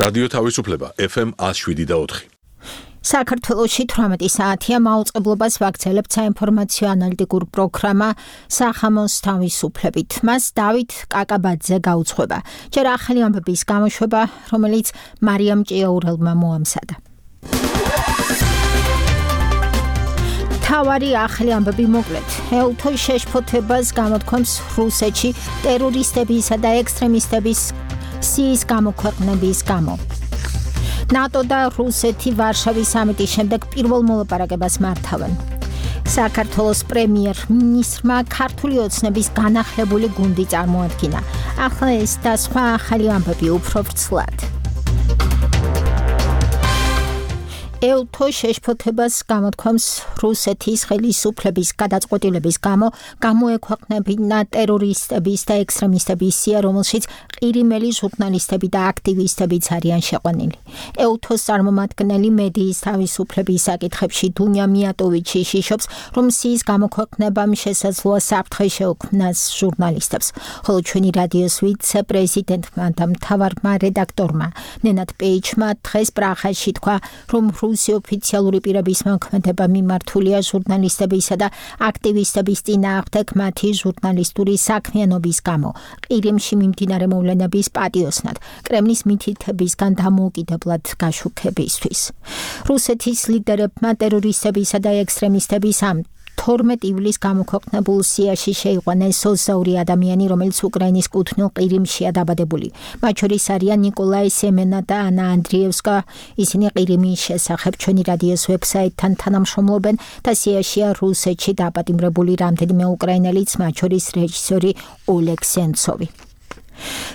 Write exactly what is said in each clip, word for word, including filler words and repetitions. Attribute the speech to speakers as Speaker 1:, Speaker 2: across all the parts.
Speaker 1: რადიო თავისუფლება ეფ ემ one oh seven point four.
Speaker 2: საქართველოში თვრამეტი საათია მაუწყებლობას ვაგრძელებთ საინფორმაციო ანალიტიკურ პროგრამა სახამოს თავისუფლებით. მას დავით კაკაბაძე გაუძღვება. ჯერ ახალი ამბების გამოშვება, რომელიც მარიამ ჭიაურელმა მოამზადა. თავარი ახალი ამბები მოკლედ. ელთო შეშფოთებას გამოთქვამს რუსეთში ტერორისტებისა და ექსტრემისტების სიის გამოქვეყნების გამო. ნატო და რუსეთი ვარშავის სამიტის შემდეგ პირველ მოლაპარაკებას მართავენ. საქართველოს პრემიერ-მინისტრმა ქართული ოცნების განახლებული გუნდი წარმოადგინა. ახლა ეს და სხვა ახალი ამბები უფრო ვრცლად. ელთო შეშფოთებას გამოთქვამს რუსეთის ხელისუფლების გადაწყვეტილების გამო გამოექვეყნებინა ტერორისტების და ექსტრემისტების სია, რომელშიც ყირიმელი ჟურნალისტები და აქტივისტებიც არიან შეყვანილი. ელთოს წარმომადგენელი მედიის თავისუფლების საკითხებში დუნია მიატოვიჩი შიშობს, რომ სიის გამოქვეყნებამ შესაძლოა საფრთხე შეუქმნას ჟურნალისტებს. ხოლო ჩვენი რადიოს ვიცე-პრეზიდენტმა და მთავარმა რედაქტორმა ნენად პეიჩმა დღეს პრაღაში თქვა, რომ რუსი ოფიციალური პირების მოქმედება მიმართულია ჟურნალისტებისა და აქტივისტების წინააღმდეგ მათი ჟურნალისტური საქმიანობის გამო, ყირიმში მიმდინარე მოვლენების პატიოსნად, კრემლის მითითებისგან დამოუკიდებლად გაშუქებისთვის. რუსეთის ლიდერებმა ტერორისტებისა და ექსტრემისტების ამ თორმეტ ივლისს გამოქვეყნებულ სიაში შეიყვანეს ოცდაორი ადამიანი, რომელიც უკრაინის კუთვნილ ყირიმშია დაბადებული. მათ შორის არიან ნიკოლაი სემენა და ანა ანდრიევსკა. ისინი ყირიმის შესახებ ჩვენი რადიოს ვებსაიტთან თანამშრომლობენ და სიაშია რუსეთში დაპატიმრებული რამდენიმე უკრაინელიც, მათ შორის რეჟისორი ოლეგ სენცოვი.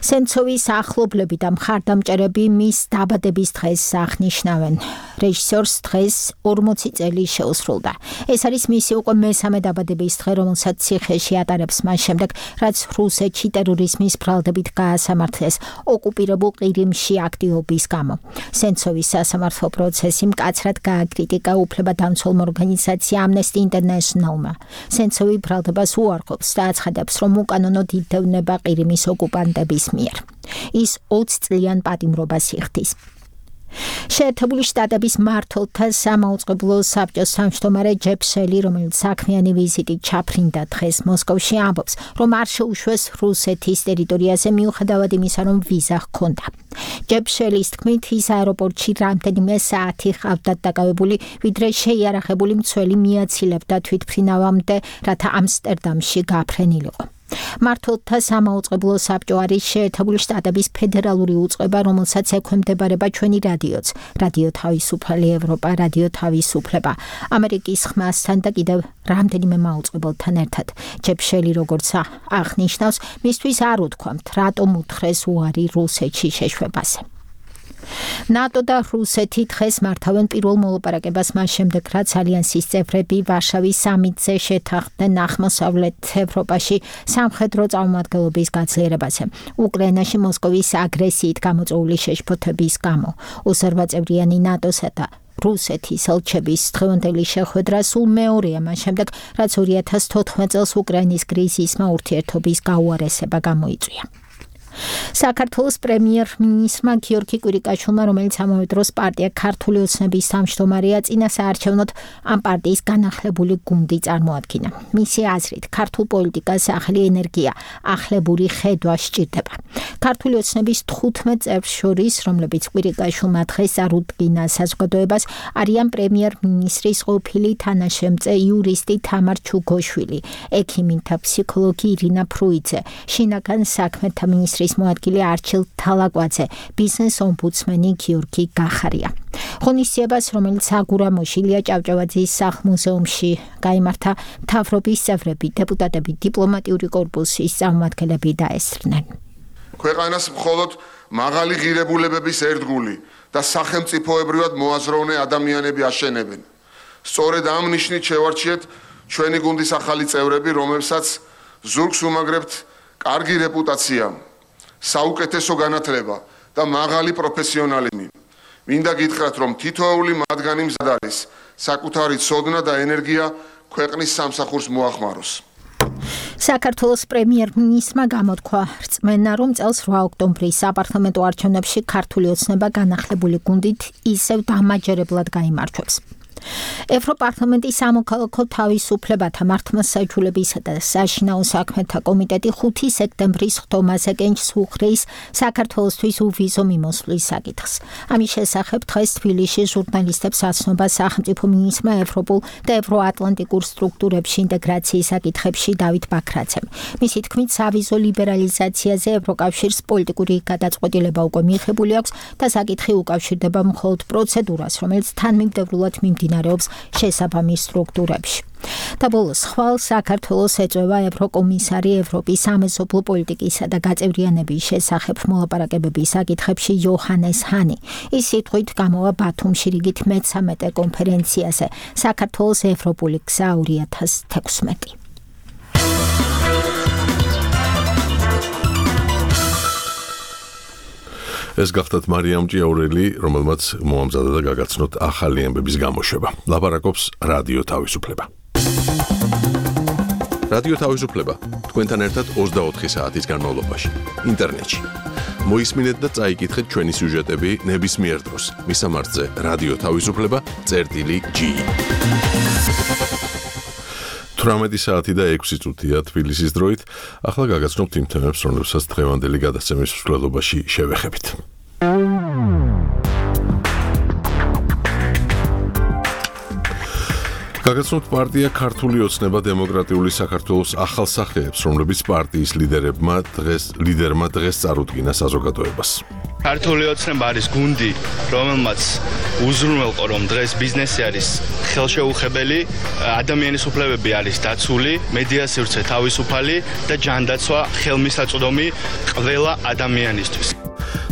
Speaker 2: სენცოვის ახლობლები და მხარდამჭერები მის დაბადების დღეს აღნიშნავენ. რეჟისორს დღეს ორმოცი წელი შეუსრულდა. ეს არის მისი უკვე მესამე დაბადების დღე, რომელსაც ციხეში ატარებს მას შემდეგ, რაც რუსეთში ტერორიზმის ბრალდებით გაასამართლეს ოკუპირებულ ყირიმში აქტივობის გამო. სენცოვის სასამართლო პროცესი მკაცრად გააკრიტიკა უფლებადამცველმა ორგანიზაცია Amnesty International-მა. სენცოვი ბრალდებას უარყოფს და აცხადებს, რომ უკანონოდ იდევნება ყირიმის ოკუპანტების მიერ. ის ოცი წლიან პატიმრობას იხდის. შეერთებული შტატების მმართველთა სამაუწყებლო საბჭოს თავმჯდომარე ჯეფ სელი, რომელიც საქმიანი ვიზიტით ჩაფრინდა დღეს მოსკოვში, ამბობს, რომ არ შეუშვეს რუსეთის ტერიტორიაზე მიუხედავად იმისა, რომ ვიზა ჰქონდა. ჯეფ შელის თქმით, ის აეროპორტში რამდენიმე საათი ჰყავდათ დაკავებული, ვიდრე შეიარაღებული მცველი მიაცილებდა თვითმფრინავამდე, რათა ამსტერდამში გაფრენილიყო. მმართველთა სამაუწყებლო საბჭო არის შეერთებული შტატების ფედერალური უწყება, რომელსაც ექვემდებარება ჩვენი რადიოც, რადიო თავისუფალი ევროპა, რადიო თავისუფლება, ამერიკის ხმასთან და კიდევ რამდენიმე მაუწყებელთან ერთად. ჯეფ შელი, როგორც აღნიშნავს, მისთვის არ უთქვამთ, რატომ უთხრეს უარი რუსეთში შეშვებაზე. ნატო და რუსეთი დღეს მართავენ პირველ მოლაპარაკებას მას შემდეგ, რაც ალიანსის წევრები ვარშავის სამიტზე შეთანხმდნენ აღმოსავლეთ ევროპაში სამხედრო წარმომადგენლობის გაძლიერებაზე. უკრაინაში მოსკოვის აგრესიით გამოწვეული შეშფოთების გამო ოცდაოთხწევრიანი ნატოსა და რუსეთის ელჩების დღევანდელი შეხვედრა სულ მეორეა მას შემდეგ, რაც ორი ათას თოთხმეტ წელს უკრაინის კრიზისმა ურთიერთობის გაუარესება გამოიწვია. საქართველოს პრემიერ-მინისტრმა გიორგი კვირიკაშვილმა, რომელიც ამავე დროს პარტია ქართული ოცნების თავმჯდომარეა, წინასაარჩევნოდ ამ პარტიის განახლებული გუნდი წარმოადგინა. მისი აზრით, ქართულ პოლიტიკას ახალი ენერგია, ახლებური ხედვა სჭირდება. ქართული ოცნების თხუთმეტ წევრს შორის, რომლებიც კვირიკაშვილმა დღეს წარუდგინა საზოგადოებას, არიან პრემიერ-მინისტრის ყოფილი თანაშემწე იურისტი თამარ ჩუგოშვილი, ექიმი და ფსიქოლოგი ირინა ფრუიძე, შინაგან საქმეთა მინისტრის მოადგილე არჩილ თალაკვაძე, ბიზნეს ომბუდსმენი გიორგი გახარია. ღონისძიებას, რომელიც აგურამოში ილია ჭავჭავაძის სახლ-მუზეუმში გაიმართა, მთავრობის წევრები, დეპუტატები, დიპლომატიური კორპუსის წარმომადგენლები დაესწრნენ.
Speaker 3: ქვეყანას მხოლოდ მაღალი ღირებულებების ერთგული და სახელმწიფოებრივად მოაზროვნე ადამიანები აშენებენ. სწორედ ამ ნიშნით შევარჩიეთ ჩვენი გუნდის ახალი წევრები, რომლებსაც ზურგს უმაგრებთ კარგი რეპუტაცია, საუკეთესო განათლება და მაღალი პროფესიონალიზმი. მინდა გითხრათ, რომ თითოეული მათგანი მზად არის საკუთარი ცოდნა და ენერგია ქვეყნის სამსახურს მოახმაროს.
Speaker 2: საქართველოს პრემიერ-მინისტრმა გამოთქვა რწმენა, რომ წელს რვა ოქტომბრის საპარლამენტო არჩევნებში ქართული ოცნება განახლებული გუნდით ისევ დამაჯერებლად გაიმარჯვებს. ევროპარლამენტის სამოქალაქო თავისუფლებათა მართლმსაჯულებისა და საშინაო საქმეთა კომიტეტი ხუთი სექტემბრის ხდომაზე კენჭს უხდის საქართველოსთვის უვიზო მიმოსვლის საკითხს. ამის შესახებ დღეს თბილისში ჟურნალისტებს ასნობა სახელმწიფო მინისტრმა ევროპულ და ევროატლანტიკურ სტრუქტურებში ინტეგრაციის საკითხებში დავით ბაქრაძემ. მისი თქმით, სავიზო ლიბერალიზაციაზე ევროკავშირს პოლიტიკური გადაწყვეტილება უკვე მიღებული აქვს და საკითხი უკავშირდება მხოლოდ პროცედურას, რომელიც თანმიმდევრულად მიმდინარეობს შესაბამის სტრუქტურებში. და ბოლოს ხვალ საქართველოს ეწევა ევროკომისარი ევროპის სამეზობლო პოლიტიკისა და გაწევრიანების შესახებ მოლაპარაკებების საკითხებში იოჰანეს ჰანი. ის სიტყვით გამოვა ბათუმში რიგით მეცამეტე კონფერენციაზე საქართველოს ევროპული გზა ორი ათას თექვსმეტი.
Speaker 1: ეს გახდათ მარიამ ჭიაურელი, რომელმაც მოამზადა და გაგაცნოთ ახალი ამბების გამოშვება. ლაპარაკობს რადიო თავისუფლება. რადიო თავისუფლება თქვენთან ერთად ოცდაოთხი საათის განმავლობაში ინტერნეტში. მოისმინეთ და წაიკითხეთ ჩვენი სიუჟეტები ნებისმიერ დროს. მისამართზე რადიო თავისუფლება წერტილი ჯი. თვრამეტი საათი და ექვსი წუთია თბილისის დროით. ახლა გაგაცნობთ იმ თემებს, რომლებსაც დღევანდელი გადაცემის მსვლელობაში შევეხებით. გაგაცნობთ პარტია ქართული ოცნება დემოკრატიული საქართველოს ახალსახეებს, რომლებიც პარტიის ლიდერებმა დღეს ლიდერმა დღეს წარუდგინა საზოგადოებას.
Speaker 4: ქართული ოცნება არის გუნდი, რომელმაც უზრუნველყო, რომ დღეს ბიზნესი არის ხელშეუხებელი, ადამიანის უფლებები არის დაცული, მედია სივრცე თავისუფალი და ჯანდაცვა ხელმისაწვდომი ყველა ადამიანისთვის.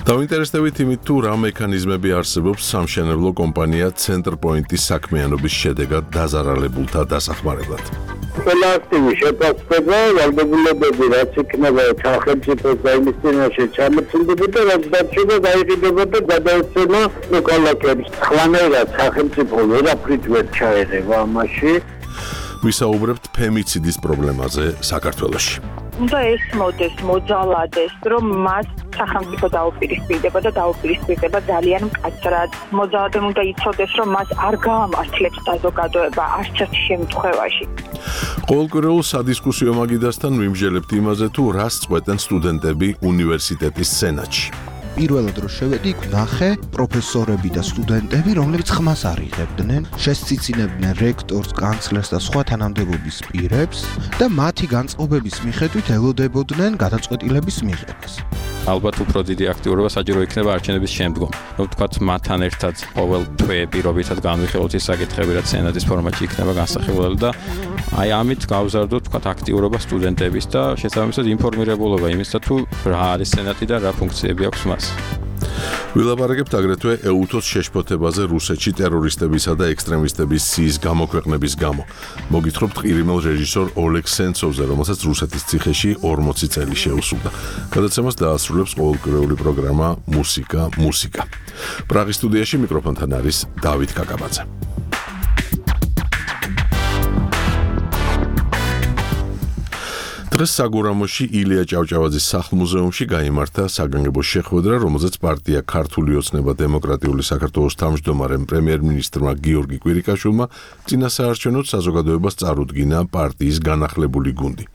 Speaker 1: დავინტერესდებით იმით, თუ რა მექანიზმები არსებობს სამშენებლო კომპანია ცენტრპოინტის საქმიანობის შედეგად დაზარალებულთა დასახმარებლად.
Speaker 5: ყველა აქტივი შეფასება, ვალდებულებები, რაც იქნება სახელმწიფოს და იმის წინაშე ჩამოწმდებოდა, რაც დარჩება გაიყიდება და გადაეცემა მოქალაქეებს. ხლანერად სახელმწიფო ვერაფრით ვერ ჩაერევა ამაში.
Speaker 1: ვისაუბრებთ ფემიციდის პრობლემაზე საქართველოში.
Speaker 6: უნდა ესმოდეს, მოძალადეს, რომ მას სახელმწიფო დაუპირისპირდება და დაუპირისპირდება ძალიან მკაცრად. მოძალადემ უნდა იცოდეს, რომ მას არ გაამართლებს საზოგადოება არც ერთ შემთხვევაში.
Speaker 1: ყოველკვირეულ სადისკუსიო მაგიდასთან ვიმსჯელებთ იმაზე, თუ რას წყვეტენ სტუდენტები უნივერსიტეტის სენატში.
Speaker 7: პირველად რო შევედი, იქ ნახე პროფესორები და სტუდენტები, რომლებიც ხმას არიღებდნენ, შესწიცინებდნენ რექტორს, კანცლერს და სხვა თანამდებობის პირებს და მათი განწყობების მიხედვით ელოდებოდნენ გადაწყვეტილების მიღებას.
Speaker 8: ალბათ უფრო დიდი აქტიურობა საჭირო იქნება არჩევნების შემდგომ. ნუ ვთქვათ, მათთან ერთად ყოველ თვე პირობითად განვიხილოთ ის საკითხები, რაც სენატის ფორმატში იქნება განსახილველი და აი ამით გავზარდოთ, ვთქვათ, აქტიურობა სტუდენტების და შესაბამისად ინფორმირებულობა იმისა, თუ რა არის სენატი და რა ფუნქციები აქვს მას.
Speaker 1: ვილაპარაკებთ აგრეთვე ეუთოს შეშფოთებაზე რუსეთში ტერორისტებისა და ექსტრემისტების სიის გამოქვეყნების გამო. მოგითხრობთ ყირიმელ რეჟისორ ოლეგ სენცოვზე, რომელსაც რუსეთის ციხეში ორმოცი წელი შეუსრულდა. გადაცემას დაასრულებს ყოველკვირეული პროგრამა მუსიკა მუსიკა. პრაღის სტუდიაში მიკროფონთან არის დავით კაკაბაძე. დღეს საგურამოში ილია ჭავჭავაძის სახლ-მუზეუმში გაიმართა საგანგებო შეხვედრა, რომელზეც პარტია ქართული ოცნება დემოკრატიული საქართველოს თავმჯდომარემ პრემიერ-მინისტრმა გიორგი კვირიკაშვილმა წინასაარჩევნოდ საზოგადოებას წარუდგინა პარტიის განახლებული გუნდი.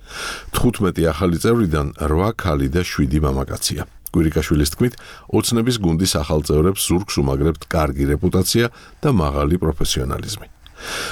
Speaker 1: თხუთმეტი ახალი წევრიდან რვა ქალი და შვიდი მამაკაცია. კვირიკაშვილის თქმით, ოცნების გუნდის ახალ წევრებს ზურგს უმაგრებთ კარგი რეპუტაცია და მაღალი პროფესიონალიზმი.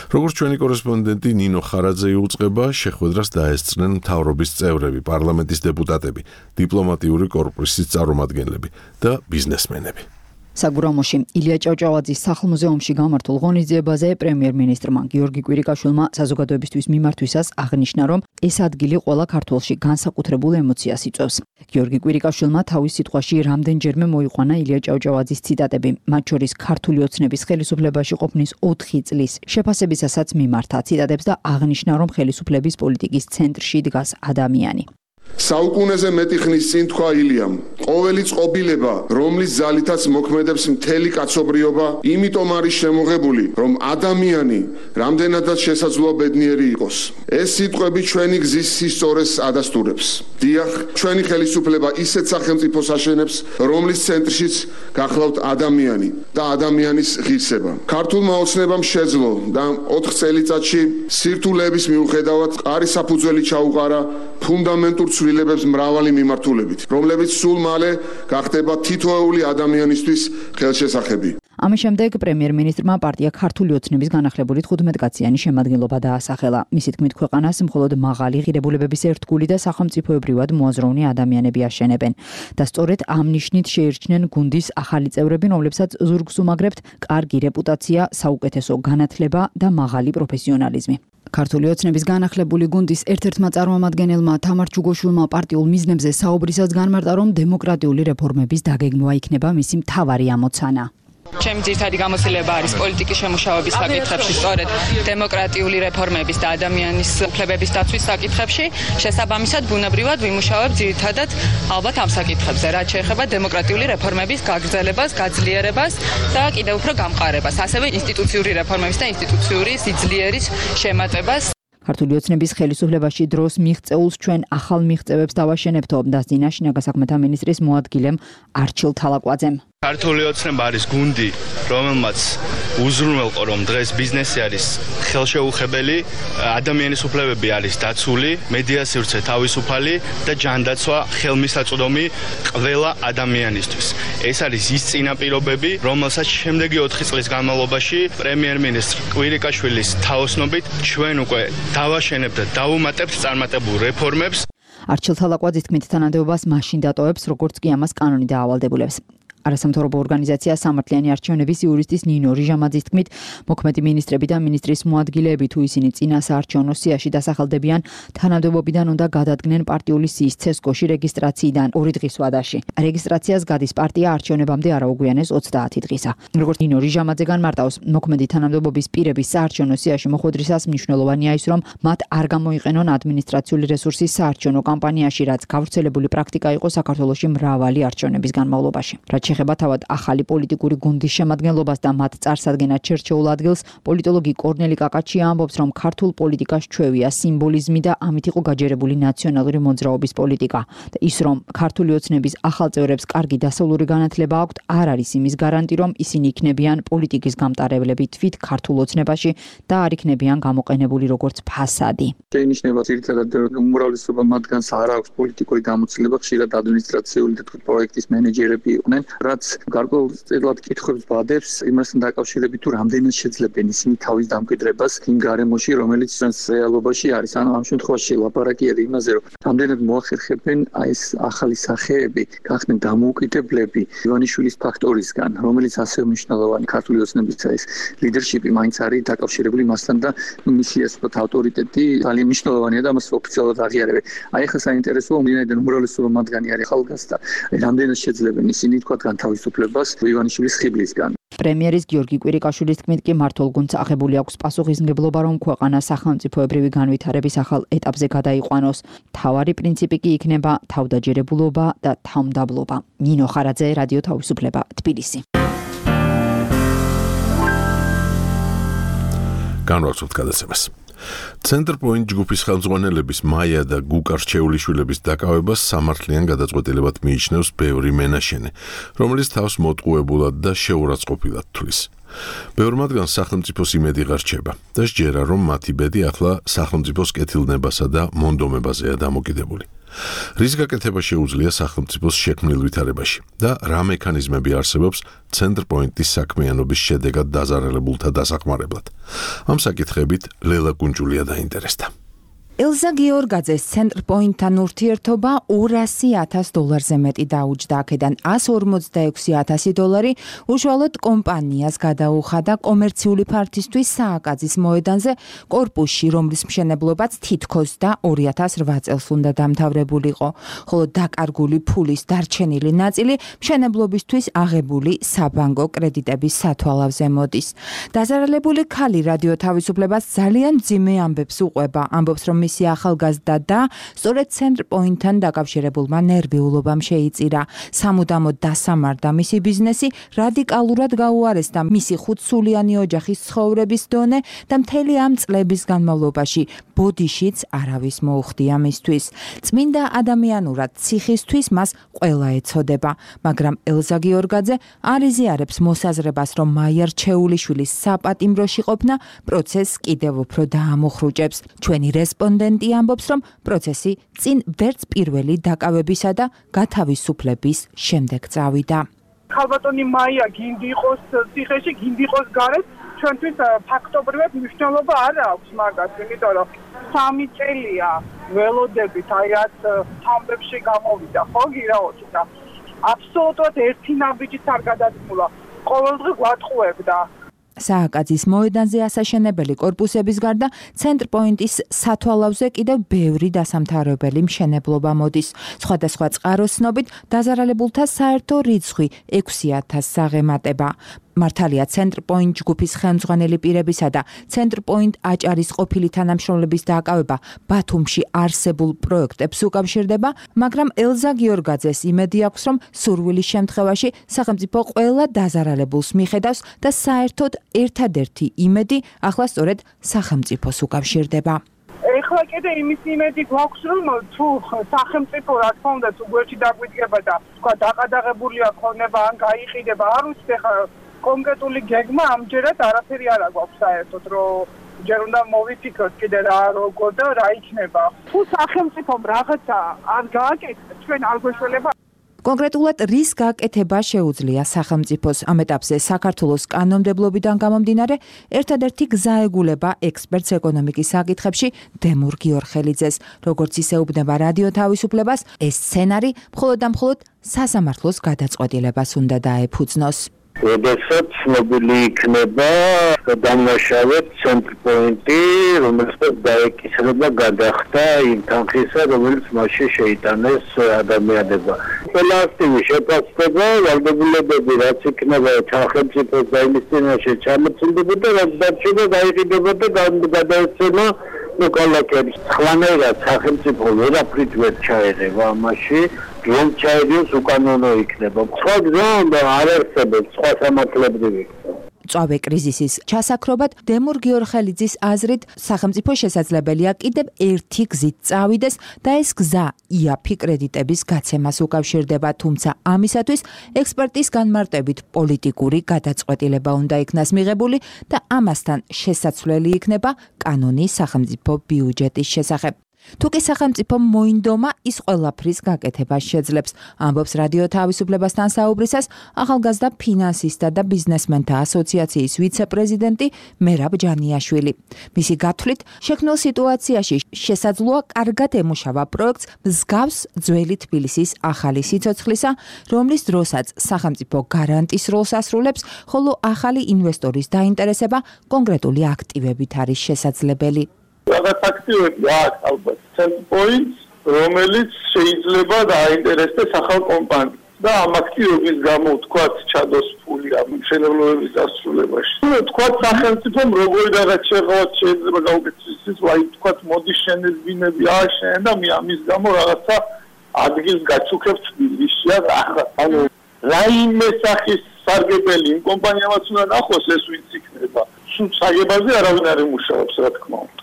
Speaker 1: როგორც ჩვენი კორესპონდენტი ნინო ხარაძე იუწყება, შეხვედრას დაესწრნენ მთავრობის წევრები, პარლამენტის დეპუტატები, დიპლომატიური კორპუსის წარმომადგენლები და ბიზნესმენები.
Speaker 9: საგურამოში ილია ჭავჭავაძის სახლ-მუზეუმში გამართულ ღონისძიებაზე პრემიერ-მინისტრმა გიორგი კვირიკაშვილმა საზოგადოებისთვის მიმართვისას აღნიშნა, რომ ეს ადგილი ყველა ქართველში განსაკუთრებულ ემოციას იწვევს. გიორგი კვირიკაშვილმა თავის სიტყვაში რამდენჯერმე მოიყვანა ილია ჭავჭავაძის ციტატები, მათ შორის ქართული ოცნების ხელისუფლებაში ყოფნის ოთხი წლის შეფასებისასაც მიმართა ციტატებს და აღნიშნა, რომ ხელისუფლების პოლიტიკის ცენტრში დგას ადამიანი.
Speaker 3: საუკუნეზე მეტი ხნის წინ თქვა ილიამ, ყოველი წყობილება, რომლის ძალითაც მოქმედებს მთელი კაცობრიობა, იმიტომ არის შემოღებული, რომ ადამიანი რამდენადაც შესაძლოა ბედნიერი იყოს. ეს სიტყვები ჩვენი გზის სისწორეს ადასტურებს. დიახ, ჩვენი ხელისუფლება ისეთ სახელმწიფოს აშენებს, რომლის ცენტრშიც გახლავთ ადამიანი და ადამიანის ღირსება. ქართულმა ოცნებამ შეძლო და ოთხ წელიწადში სირთულეების მიუხედავად ყარი საფუძველი ჩაუყარა ფუნდამენტურ ცვლილებებს მრავალი მიმართულებით, რომლებიც სულ მალე გახდება თითოეული ადამიანისთვის ხელშესახები.
Speaker 9: ამის შემდეგ პრემიერ-მინისტრმა პარტია ქართული ოცნების განახლებული თხუთმეტკაციანი შემადგენლობა დაასახელა. მისი თქმით, ქვეყანას მხოლოდ მაღალი ღირებულებების ერთგული და სახელმწიფოებრივად მოაზროვნე ადამიანები აშენებენ და სწორედ ამ ნიშნით შეირჩნენ გუნდის ახალი წევრები, რომლებსაც ზურგს უმაგრებთ კარგი რეპუტაცია, საუკეთესო განათლება და მაღალი პროფესიონალიზმი. ქართული ოცნების განახლებული გუნდის ერთ-ერთმა წარმომადგენელმა თამარ ჩუგოშვილმა პარტიულ მიზნებზე საუბრისას განმარტა, რომ დემოკრატიული რეფორმების დაგეგმვა იქნება მისი მთავარი ამოცანა.
Speaker 10: ჩემი ძირითადი გამოცდილება არის პოლიტიკის შემუშავების საკითხებში, სწორედ დემოკრატიული რეფორმების და ადამიანის უფლებების დაცვის საკითხებში. შესაბამისად, ბუნებრივად ვიმუშავებ ძირითადად ალბათ ამ საკითხებზე, რაც შეეხება დემოკრატიული რეფორმების გაგრძელებას, გაძლიერებას და კიდევ უფრო გამყარებას, ასევე ინსტიტუციური რეფორმების და ინსტიტუციური სიძლიერის შემატებას.
Speaker 9: ქართული ოცნების ხელისუფლებაში დროს მიღწეულს ჩვენ ახალ მიღწევებს დავაშენებთო, დასძინა შინაგან საქმეთა მინისტრის მოადგილემ არჩილ თალაკვაძემ.
Speaker 4: ქართული ოცნება არის გუნდი, რომელმაც უზრუნველყო, რომ დღეს ბიზნესი არის ხელშეუხებელი, ადამიანის უფლებები არის დაცული, მედია სივრცე თავისუფალი და ჯანდაცვა ხელმისაწვდომი ყველა ადამიანისთვის. ეს არის ის წინაპირობები, რომელსაც შემდეგი ოთხი წლის განმავლობაში პრემიერ-მინისტრ კვირიკაშვილის თაოსნობით ჩვენ უკვე დავაშენებთ და დავუმატებთ წარმატებულ რეფორმებს.
Speaker 9: არჩილ თალაკვაძის თქმით, თანამდებობას მაშინ დატოვებს, როგორც კი ამას კანონი დაავალდებულებს. არასამთავრობო ორგანიზაცია სამართლიანი არჩევნების იურისტის ნინო რიჟამაძის თქმით, მოქმედი მინისტრები და მინისტრის მოადგილეები თუ ისინი წინა საარჩევნო სიაში დასახელდებიან, თანამდებობიდან უნდა გადადგნენ პარტიული სიის ცესკოში რეგისტრაციიდან ორი დღის ვადაში. რეგისტრაციას გადის პარტია არჩევნებამდე არა უგვიანეს ოცდაათი დღისა. როგორც ნინო რიჟამაძე განმარტავს, მოქმედი თანამდებობის პირების საარჩევნო სიაში მოხვედრისას მნიშვნელოვანია ის, რომ მათ არ გამოიყენონ ადმინისტრაციული რესურსი საარჩევნო კამპანიაში, რაც გავრცელებული პრაქტიკა იყო საქართველოში მრავალი არჩევნების განმავლობაში. რაც შეეხება თავად ახალი პოლიტიკური გუნდის შემადგენლობას და მათ წარსადგენად შერჩეულ ადგილს, პოლიტოლოგი კორნელი კაკაჩია ამბობს, რომ ქართულ პოლიტიკას ჩვევია სიმბოლიზმი და ამით იყო გაჯერებული ნაციონალური მოძრაობის პოლიტიკა და ის, რომ ქართული ოცნების ახალ წევრებს კარგი დასავლური განათლება აქვთ, არ არის იმის გარანტი, რომ ისინი იქნებიან პოლიტიკის გამტარებლები თვით ქართულ ოცნებაში და არ იქნებიან გამოყენებული როგორც ფასადი.
Speaker 11: შეინიშნება ძირითადად უმრავლესობა მათგანს არ აქვს პოლიტიკური გამოცდილება, ხშირად ადმინისტრაციული და პროექტის მენეჯერები იყვნენ. რაც გარკვეულწილად კითხვებს ბადებს იმასთან დაკავშირებით, თუ რამდენად შეძლებენ ისინი თავის დამკვიდრებას იმ გარემოში, რომელიც ჩვენს რეალობაში არის. ანუ ამ შემთხვევაში ლაპარაკია იმაზე, რომ რამდენად მოახერხებენ აი ეს ახალი სახეები გახდნენ დამოუკიდებლები ივანიშვილის ფაქტორისგან, რომელიც ასევე მნიშვნელოვანი ქართული ოცნების ეს ლიდერშიპი მაინც არის დაკავშირებული მასთან და მისი ეს ავტორიტეტი ძალიან მნიშვნელოვანია და მას ოფიციალურად აღიარებენ. აი ახლა საინტერესოა, ვინაიდან უმრავლესობა მათგანი არის ახალგაზრდა, რამდენად შეძლებენ ისინი თქვა განთავისუფლებას ივანიშვილის ხიბლისგან.
Speaker 9: პრემიერის გიორგი კვირიკაშვილის თქმით, კი მართულ გუნდს აღებული აქვს პასუხისმგებლობა, რომ ქვეყანა სახელმწიფოებრივი განვითარების ახალ ეტაპზე გადაიყვანოს. მთავარი პრინციპი კი იქნება თავდაჯერებულობა და თავმდაბლობა. ნინო ხარაძე, რადიო თავისუფლება, თბილისი.
Speaker 1: განვაცხოთ გადაცემას. ცენტრპოინტ ჯგუფის ხელმძღვანელების მაია და გუკა რჩეულიშვილების დაკავებას სამართლიან გადაწყვეტილებად მიიჩნევს ბევრი მენაშენე, რომელიც თავს მოტყუებულად და შეურაცხყოფილად თვლის. ბევრ მათგანს სახელმწიფოს იმედი ღარჩება და სჯერა, რომ მათი ბედი ახლა სახელმწიფოს კეთილნებასა და მონდომებაზეა დამოკიდებული. რის გაკეთება შეუძლია სახელმწიფოს შექმნილ ვითარებაში და რა მექანიზმები არსებობს ცენტრპოინტის საქმიანობის შედეგად დაზარალებულთა დასახმარებლად. ამ საკითხებით ლელა კუნჯულია დაინტერესდა.
Speaker 12: ელზა გიორგაძეს ცენტრპოინტთან ურთიერთობა ორასი ათას დოლარზე მეტი დაუჯდა, აქედან ასი ორმოცდაექვსი ათასი დოლარი უშუალოდ კომპანიას გადაუხადა კომერციული ფართისთვის სააკაძის მოედანზე კორპუსში, რომლის მშენებლობაც თითქოს და ორი ათას რვა წელს უნდა დამთავრებულიყო, ხოლო დაკარგული ფულის დარჩენილი ნაწილი მშენებლობისთვის აღებული საბანკო კრედიტების სათვალავზე მოდის. დაზარალებული ქალი რადიო თავისუფლებას ძალიან მძიმე ამბებს უყვება, ამბობს, რომ მამამისი ახალგაზრდა და სწორედ ცენტრ პოინტთან დაკავშირებულმა ნერვიულობამ შეიწირა. სამუდამოდ დასამარდა მისი ბიზნესი, რადიკალურად გაუარესდა მისი ხუთსულიანი ოჯახის ცხოვრების დონე და მთელი ამ წლების განმავლობაში ბოდიშიც არავის მოუხდია მისთვის. წმინდა ადამიანურად ციხისთვის მას ყველა ეცოდება, მაგრამ ელზა გიორგაძე არ იზიარებს მოსაზრებას, რომ მაიარჩეულიშვილის საპატიმროში ყოფნა პროცესს კიდევ უფრო დაამოხრუჭებს. ჩვენი რესპონდენტი ამბობს, რომ პროცესი წინ ვერც პირველი დაკავებისა და გათავისუფლების შემდეგ წავიდა.
Speaker 13: ქალბატონი მაია გინდი იყოს ციხეში, გინდი იყოს გარეთ, ჩვენთვის ფაქტობრივად მნიშვნელობა არ აქვს მაგას, იმიტომ რომ სამი წელია ველოდებით, აი რაც თამბებში გამოვიდა, ხო გირაოჩი და აბსოლუტურად ერთი ნაბიჯიც არ გადადგმულა. ყოველდღე გვატყუებდა.
Speaker 12: სააკაძის მოედანზე ასაშენებელი კორპუსების გარდა ცენტრ პოინტის სათვალავზე კიდევ ბევრი დასამთავრებელი მშენებლობა მოდის. სხვადასხვა წყაროს ცნობით დაზარალებულთა საერთო რიცხვი ექვსი ათასს აღემატება. მართალია ცენტრ პოინტ ჯგუფის ხელმძღვანელი პირებისა და ცენტრ პოინტ აჭარის ყოფილი თანამშრომლების დააკავება ბათუმში არსებულ პროექტებს უკავშირდება, მაგრამ ელზა გიორგაძეს იმედი აქვს, რომ სურვილის შემთხვევაში სახელმწიფო ყველა დაზარალებულს მიხედავს და საერთოდ ერთადერთი იმედი ახლა სწორედ სახელმწიფოს უკავშირდება.
Speaker 13: ეხლა კიდე იმის იმედი გვაქვს, რომ თუ სახელმწიფო რა თქმა უნდა თუ გვერდში დაგვიდგება და თქვა დაყადაღებულია ქონება ან გაიყიდება, არ ვიცი ხა კონკრეტული გეგმა ამჯერად არაფერი არ აქვს საერთოდ, რომ ჯერ უნდა მოვიფიქროთ კიდე რა როგორ და რა იქნება. თუ სახელმწიფომ რაღაცა არ გააკეთა, ჩვენ არ გვეშველება.
Speaker 12: კონკრეტულად რის გაკეთება შეუძლია სახელმწიფოს ამ ეტაპზე საქართველოს კანონმდებლობიდან გამომდინარე, ერთადერთი გზა ეგულება ექსპერტს ეკონომიკის საკითხებში დემურ გიორხელიძეს. როგორც ისეუბნება რადიო თავისუფლებას, ეს სცენარი მხოლოდ და მხოლოდ სასამართლოს გადაწყვეტილებას უნდა დაეფუძნოს.
Speaker 5: როდესაც ცნობილი იქნება დამნაშავედ ცენტრ პოინტი, რომელსაც დაეკისრება გადახდა იმ თანხისა, რომელიც მასში შეიტანეს ადამიანებმა. ყველა აქტივი შეფასდება, ვალდებულებები რაც იქნება სახელმწიფოს და იმის წინაშე ჩამოწმდებოდა, რაც დარჩება დაიყიდება და გადაეცემა მოქალაქეებს. სხვანაირად სახელმწიფო ვერაფრით ვერ ჩაერევა ამაში. რომ ჩაედიოს უკანონო იქნება. სხვა გზა არ არსებობს, სხვა სამართლებრივი.
Speaker 12: წავე კრიზისის ჩასაქრობად დემურ გიორხელიძის აზრით სახელმწიფო შესაძლებელია კიდევ ერთი გზით წავიდეს და ეს გზა იაფი კრედიტების გაცემას უკავშირდება, თუმცა ამისათვის ექსპერტის განმარტებით პოლიტიკური გადაწყვეტილება უნდა იქნას მიღებული და ამასთან შესაძლებელი იქნება კანონი სახელმწიფო ბიუჯეტის შესახებ. თუ კი სახელმწიფომ მოინდომა, ის ყველაფრის გაკეთებას შეძლებს, ამბობს რადიო თავისუფლებასთან საუბრისას ახალგაზრდა ფინანსისტთა და ბიზნესმენთა ასოციაციის ვიცე-პრეზიდენტი მერაბ ჯანიაშვილი. მისი გათვლით, შექმნილ სიტუაციაში შესაძლოა კარგად ემუშავა პროექტს მსგავს ძველი თბილისის ახალი სიცოცხლისა, რომლის დროსაც სახელმწიფო გარანტის როლს ასრულებს, ხოლო ახალი ინვესტორის დაინტერესება კონკრეტული აქტივებით არის შესაძლებელი.
Speaker 14: რაღაც აქტივები აქვს ალბათ ცენტრ პოინტს, რომელიც შეიძლება დააინტერესდეს ახალ კომპანიას და ამ აქტივების გამო თქვათ ჩადოს ფული ამ მშენებლობების დასრულებაში. თქვათ სახელმწიფომ როგორი რაღაც შეღავათ შეიძლება გაუკეთოს ის, აი თქვათ მოდის შენებინები ააშენე და მე ამის გამო რაღაცა ადგილს გაჩუქებს თბილისში რა. ანუ რაიმე სახის სარგებელი იმ კომპანიამაც უნდა ნახოს ეს ვინც იქნება. სულ საგებაზე არავინ არ იმუშავებს რა თქმა უნდა.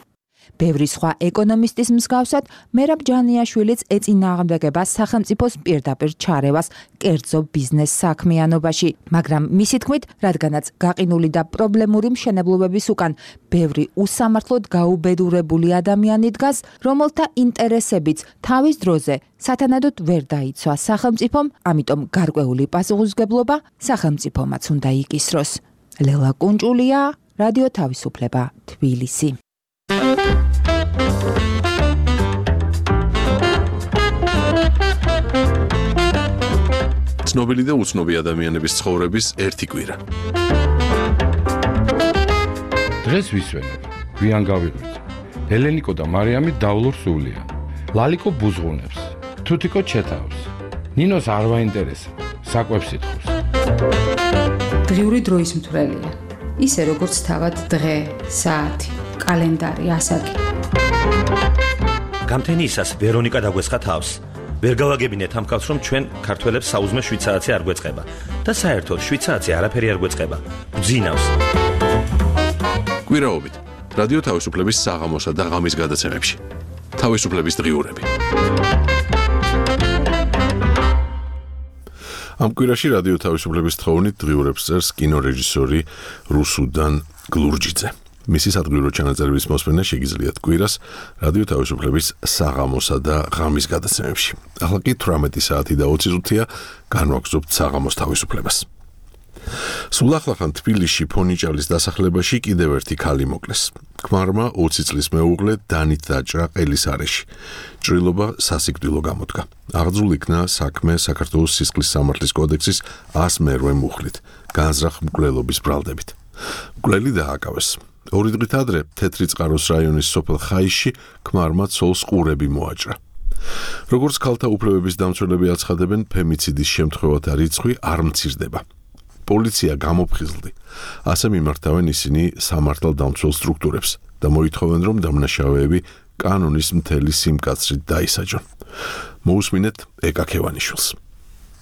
Speaker 12: ბევრი სხვა ეკონომისტის მსგავსად, მერაბ ჯანიაშვილიც ეწინააღმდეგება სახელმწიფოს პირდაპირ ჩარევას კერძო ბიზნეს საქმიანობაში, მაგრამ მისი თქმით, რადგანაც გაყინული და პრობლემური მშენებლობების უკან ბევრი უსამართლოდ გაუბედურებული ადამიანი დგას, რომელთა ინტერესებიც თავის დროზე სათანადოდ ვერ დაიცვა სახელმწიფომ, ამიტომ გარკვეული პასუხისმგებლობა სახელმწიფომაც უნდა იკისროს. ლელა კუნჭულია, რადიო თავისუფლება, თბილისი.
Speaker 1: ცნობილი და უცნობი ადამიანების ცხოვრების ერთი კვირა.
Speaker 15: დღეს ვისვენებ, გვიან გავიღვიძე. ელენიკო და მარიამი დავლურ სულია. ლალიკო ბუზღუნებს, თუთიკო ჩეთავს. ნინოს არ ვაინტერესებს, საკვებს ითხოვს.
Speaker 16: დღიური დროის მთვრელია. ისე როგორც თავად დღე, საათი, კალენდარი, ასაკი.
Speaker 17: გამთენიისას ვერონიკა დაგვესხა თავს. ვერ გავაგებინეთ ამ კაცს, რომ ჩვენ ქართველებს საუზმე შვიდ საათი არ გვეწყება და საერთოდ შვიდ საათი არაფერი არ გვეწყება. ბძინავს.
Speaker 1: კვირაობით რადიო თავისუფლების საღამოსა და ღამის გადაცემებში. თავისუფლების დღიურები. ამ კვირაში რადიო თავისუფლების თხოვნით დღიურებს წერს კინორეჟისორი რუსუდან გლურჯიძე. მისი სადღიურო ჩანაწერების მოსმენა შეგიძლიათ კვირას რადიო თავისუფლების საღამოსა და ღამის გადაცემებში. ახლა კი თვრამეტი საათი და ოცი წუთია განვაგრძობთ საღამოს თავისუფლებას. სულ ახლახან თბილისში ფონიჭალის დასახლებაში კიდევ ერთი ქალი მოკლეს. ქმარმა ოცი წლის მეუღლე დანით დაჭრა ყელის არეში. ჭრილობა სასიკვდილო გამოდგა. აღძრულ იქნა საქმე საქართველოს სისხლის სამართლის კოდექსის ას მერვე მუხლით, განზრახ მკვლელობის ბრალდებით. მკვლელი დააკავეს. ორი დღით ადრე თეთრი წყაროს რაიონის სოფელ ხაისში ქმარმა ცოლს ყურები მოაჭრა. როგორც ქალთა უფლებების დამცველები აცხადებენ, ფემიციდის შემთხვევათა რიცხვი არ მცირდება. პოლიცია გამოფხიზლდი. ასე მიმართავენ ისინი სამართალდამცველ სტრუქტურებს და მოითხოვენ, რომ დამნაშავეები კანონის მთელი სიმკაცრით დაისაჯონ. მოусმინეთ ეკა ქევანიშვილს.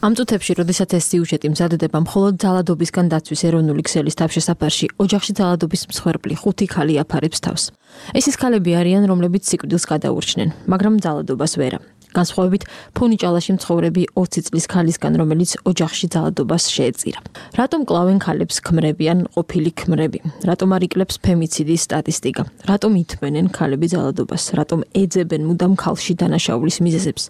Speaker 18: ამ წუთებში, როდესაც ეს სიუჟეტი მზადდება, მხოლოდ ძალადობისგან დაცვის ეროვნული ქსელის თავშესაფარში ოჯახში ძალადობის მსხვერპლი ხუთი ქალი აფარებს თავს. ეს ის ქალები არიან, რომლებიც სიკვდილს გადაურჩნენ, მაგრამ ძალადობას ვერა. განსხვავებით ფონიჭალაში მცხოვრები ოცი წლის ქალისგან, რომელიც ოჯახში ძალადობას შეეწირა. რატომ კლავენ ქალებს ქმრები ან ყოფილი ქმრები? რატომ არ იკლებს ფემიციდის სტატისტიკა? რატომ ითმენენ ქალები ძალადობას? რატომ ეძებენ მუდამ ქალში დანაშაულის მიზეზებს?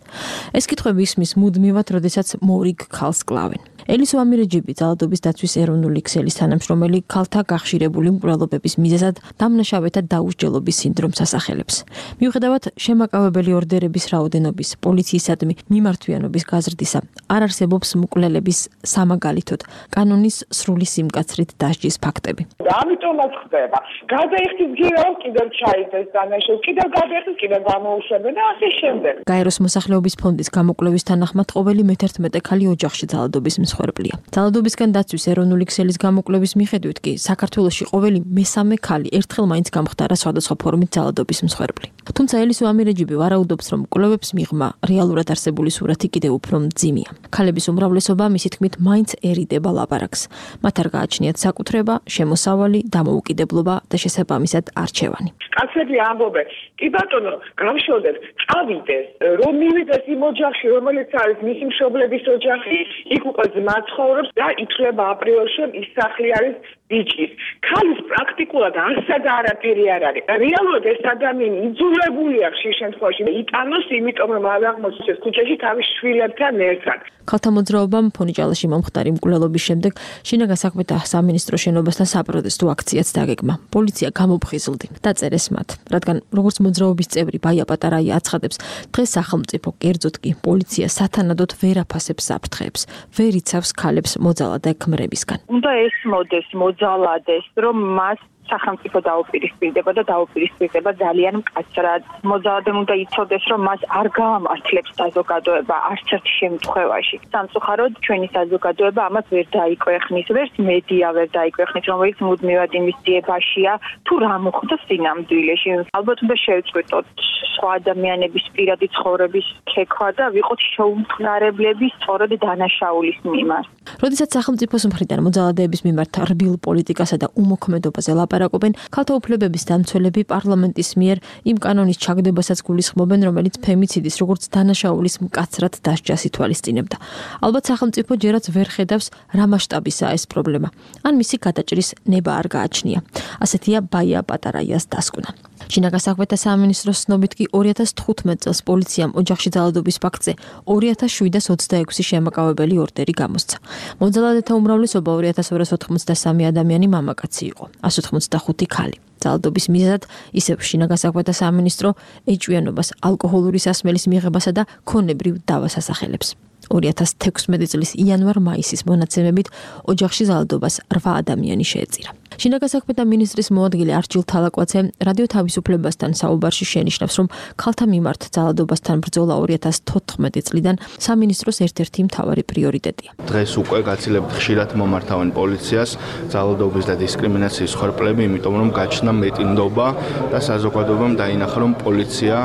Speaker 18: ეს კითხვები ისმის მუდმივად, როდესაც მორიგ ქალს კლავენ. ელისო ამირეჯიბი ძალადობის დაცვის ეროვნული ქსელის თანამშრომელი ქალთა გახშირებული მკვლელობების მიზეზად დამნაშავეთა დაუსჯელობის სინდრომს ასახელებს. მიუხედავად შემაკავებელი ორდერების რაოდენობის, პოლიციისადმი მიმართვიანობის გაზრდისა, არ არსებობს მკვლელების სამაგალითოდ კანონის სრული სიმკაცრით დასჯის ფაქტები.
Speaker 13: ამიტომაც ხდება. გადაიხდის გირავ, კიდევ ჩაიდეს დანაშაული, კიდევ გადაიხდის, კიდევ გამოუშვებენ და ასე შემდეგ.
Speaker 18: გაეროს მოსახლეობის ფონდის გამოკვლევის თანახმად ყოველი მეთერთმეტე ქალი ოჯახში ძალადობის მსხვერპლია. ძალადობისგან დაცვის ეროვნული ქსელის გამოკვლევის მიხედვით კი საქართველოში ყოველი მესამე ქალი ერთხელ მაინც გამხდარა სხვადასხვა ფორმით ძალადობის მსხვერპლი. თუმცა ელისო ამირეჯიბი ვარაუდობს, რომ კვლევებს მიღმა რეალურად არსებული სურათი კიდევ უფრო მძიმეა. ქალების უმრავლესობა მისი თქმით მაინც ერიდება ლაპარაკს. მათ არ გააჩნიათ საკუთრება, შემოსავალი, დამოუკიდებლობა და შესაბამისად არჩევანი.
Speaker 13: კაცები ამბობენ, კი ბატონო, გამშოდეთ, წავიდეს, რომ მივიდეს იმ ოჯახში, რომელიც არის მისი მშობლების ოჯახი, იქ უკვე ძმა ცხოვრობს და ითვლება აპრიორში, რომ ის სახლი არის ბიჭის. ქალის პრაქტიკულად არსად არაფერი არ არის. რეალურად ეს ადამიანი იძულებულია ხშირ შემთხვევაში იტანოს, იმიტომ რომ არ აღმოჩნდეს ქუჩაში თავის შვილებთან ერთად.
Speaker 18: ქალთა მოძრაობამ ფონიჭალაში მომხდარი მკვლელობის შემდეგ შინაგან საქმეთა სამინისტროს შენობასთან საპროტესტო აქციაც დაგეგმა. პოლიცია გამოფხიზლდი. დაწერეს მათ, რადგან როგორც მოძრაობის წევრი ბაია პატარაია აცხადებს, დღეს სახელმწიფო, კერძოდ კი პოლიცია სათანადოდ ვერ აფასებს საფრთხეებს, ვერ იცავს ქალებს მოძალადე ქმრებისგან.
Speaker 6: უნდა ესმოდეს, მოძალადეს, რომ მას სახელმწიფო დაუპირისპირდება და დაუპირისპირდება ძალიან მკაცრად. მოძალადემ უნდა იცოდეს, რომ მას არ გაამართლებს საზოგადოება არც ერთ შემთხვევაში. სამწუხაროდ ჩვენი საზოგადოება ამას ვერ დაიკვეხნის, ვერც მედია ვერ დაიკვეხნის, რომელიც მუდმივად იმის ძიებაშია, თუ რა მოხდა სინამდვილეში. ალბათ უნდა შევწყვიტოთ სხვა ადამიანების პირადი ცხოვრების ქექვა და ვიყოთ შეუმხნარებლები სწორედ დანაშაულის მიმართ.
Speaker 18: როდესაც სახელმწიფოს მხრიდან მოძალადეების მიმართ რბილ პოლიტიკასა და უმოქმედობაზე ლაპარაკობენ, ქალთა უფლებების დამცველები პარლამენტის მიერ იმ კანონის ჩაგდებასაც გულისხმობენ, რომელიც ფემიციდის როგორც დანაშაულის მკაცრად დასჯას ითვალისწინებდა. ალბათ სახელმწიფო ჯერაც ვერ ხედავს, რა მასშტაბისაა ეს პრობლემა, ან მისი გადაჭრის ნება არ გააჩნია. ასეთია ბაია პატარაიას დასკვნა. შინაგან საქმეთა სამინისტროს ცნობით კი ორი ათას თხუთმეტ წელს პოლიციამ ოჯახში ძალადობის ფაქტზე ორი ათას შვიდას ოცდაექვსი შემაკავებელი ორდერი გამოსცა. მოძალადეთა უმრავლესობა ორი ათას ორას ოთხმოცდასამი ადამიანი მამაკაცი იყო, ას ოთხმოცდახუთი ქალი. ძალადობის მიზეზად ისევ შინაგან საქმეთა სამინისტრო ეჭვიანობას, ალკოჰოლური სასმელის მიღებასა და ქონებრივ დავას ასახელებს. ორი ათას თექვსმეტი წლის იანვარ-მაისის მონაცემებით ოჯახში ძალადობას რვა ადამიანი შეეწირა. შინაგან საქმეთა მინისტრის მოადგილე არჩილ თალაკვაცე რადიო თავისუფლებასთან საუბარში შენიშნავს, რომ ქალთა მიმართ ძალადობასთან ბრძოლა ორი ათას თოთხმეტი წლიდან სამინისტროს ერთ-ერთი მთავარი პრიორიტეტია.
Speaker 4: დღეს უკვე გაცილებთ ხშირად მომართავენ პოლიციას ძალადობის და დისკრიმინაციის ხორბლები, იმიტომ რომ გაჩნდა მეტინდობა და საზოგადოებამ დაინახა, რომ პოლიცია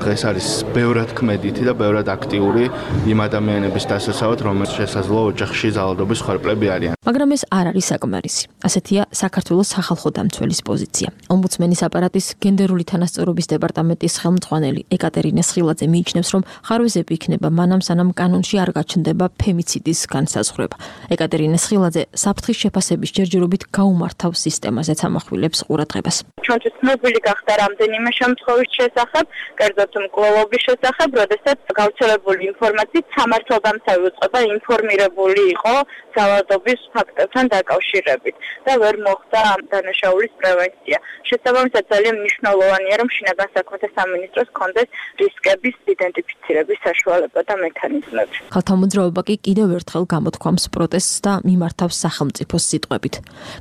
Speaker 4: დღეს არის ბევრად ქმედითი და ბევრად აქტიური იმ ადამიანების დასაცავად, რომელთაც შესაძლოა ოჯახში ძალადობის ხორბლები არიან.
Speaker 18: მაგრამ ეს არ არის საკმარისი. ასეთია საქართველოს სახალხო დამცველის პოზიცია. ომბუდსმენის აპარატის გენდერული თანასწორობის დეპარტამენტის ხელმძღვანელი ეკატერინა სხილაძე მიიჩნევს, რომ ხარვეზები იქნება მანამ სანამ კანონში არ გაჩნდება ფემიციდის განსაზღვრება. ეკატერინა სხილაძე საფრთხის შეფასების ჯერჯერობით გაუმართავს სისტემაზეც ამახვილებს ყურადღებას.
Speaker 19: ჩვენთვის ცნობილი გახდა რამდენიმე შემთხვევის შესახებ, კერძოდ მკვლელობის შესახებ, როდესაც გავრცელებული ინფორმაციით სამართალდამცავი უწყება ინფორმირებული იყო ძალადობის ფაქტებთან დაკავშირებით და ვერ მოხდა დანაშაულის პრევენცია. შესაბამისად ძალიან მნიშვნელოვანია, რომ შინაგან საქმეთა სამინისტროს კონდეს რისკების იდენტიფიცირების საშუალება და მექანიზმები.
Speaker 18: ქალთა მოძრაობა კი კიდევ ერთხელ გამოთქვამს პროტესტს და მიმართავს სახელმწიფოს სიტყვებით.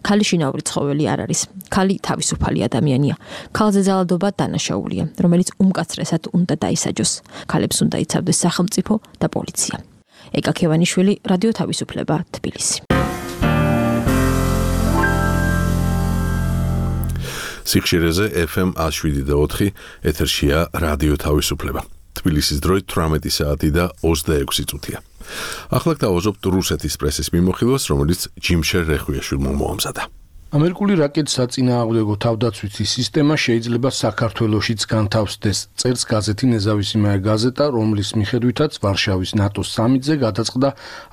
Speaker 18: ქალი შინაური ცხოველი არ არის. ქალი თავისუფალი ადამიანია. ქალზე ძალადობა დანაშაულია, რომელიც უმკაცრესად უნდა დაისაჯოს. ქალებს უნდა იცავდეს სახელმწიფო და პოლიცია. ეკა ქევანიშვილი, რადიო თავისუფლება, თბილისი.
Speaker 1: სიხშირეზე ეფ ემ ათს შვიდი და ოთხი, ეთერშია რადიო თავისუფლება. თბილისის დროით თვრამეტი საათი და ოცდაექვსი წუთია. ახლა გავაზობთ რუსეთის პრესის მიმოხილვას, რომელიც ჯიმშერ რეხვიაშვილმა მოამზადა.
Speaker 20: ამერიკული რაკეტის საწინააღმდეგო თავდაცვითი სისტემა შეიძლება საქართველოშიც განთავსდეს, წერს გაზეთი ნეზავისიმая გაზეტა, რომლის მიხედვითაც ვარშავის ნატოს სამიტზე გადაწყდა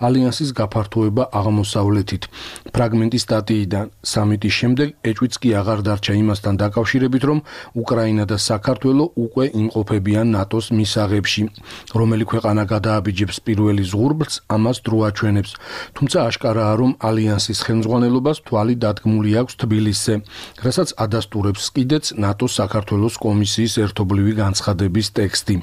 Speaker 20: ალიანსის გაფართოება აღმოსავლეთით. ფრაგმენტი სტატიიდან სამიტის შემდეგ ეჭვიც კი აღარ დარჩა იმასთან დაკავშირებით, რომ უკრაინა და საქართველო უკვე იმყოფებიან ნატოს მისაღებში. რომელი ქვეყანა გადააბიჯებს პირველი ზღურბლს, ამას დრო აჩვენებს. თუმცა აშკარაა, რომ ალიანსის ხელმძღვანელობას თვალი დადგმული აქვს თბილისზე, რასაც ადასტურებს კიდეც ნატოს საქართველოს კომისიის ერთობლივი განცხადების ტექსტი.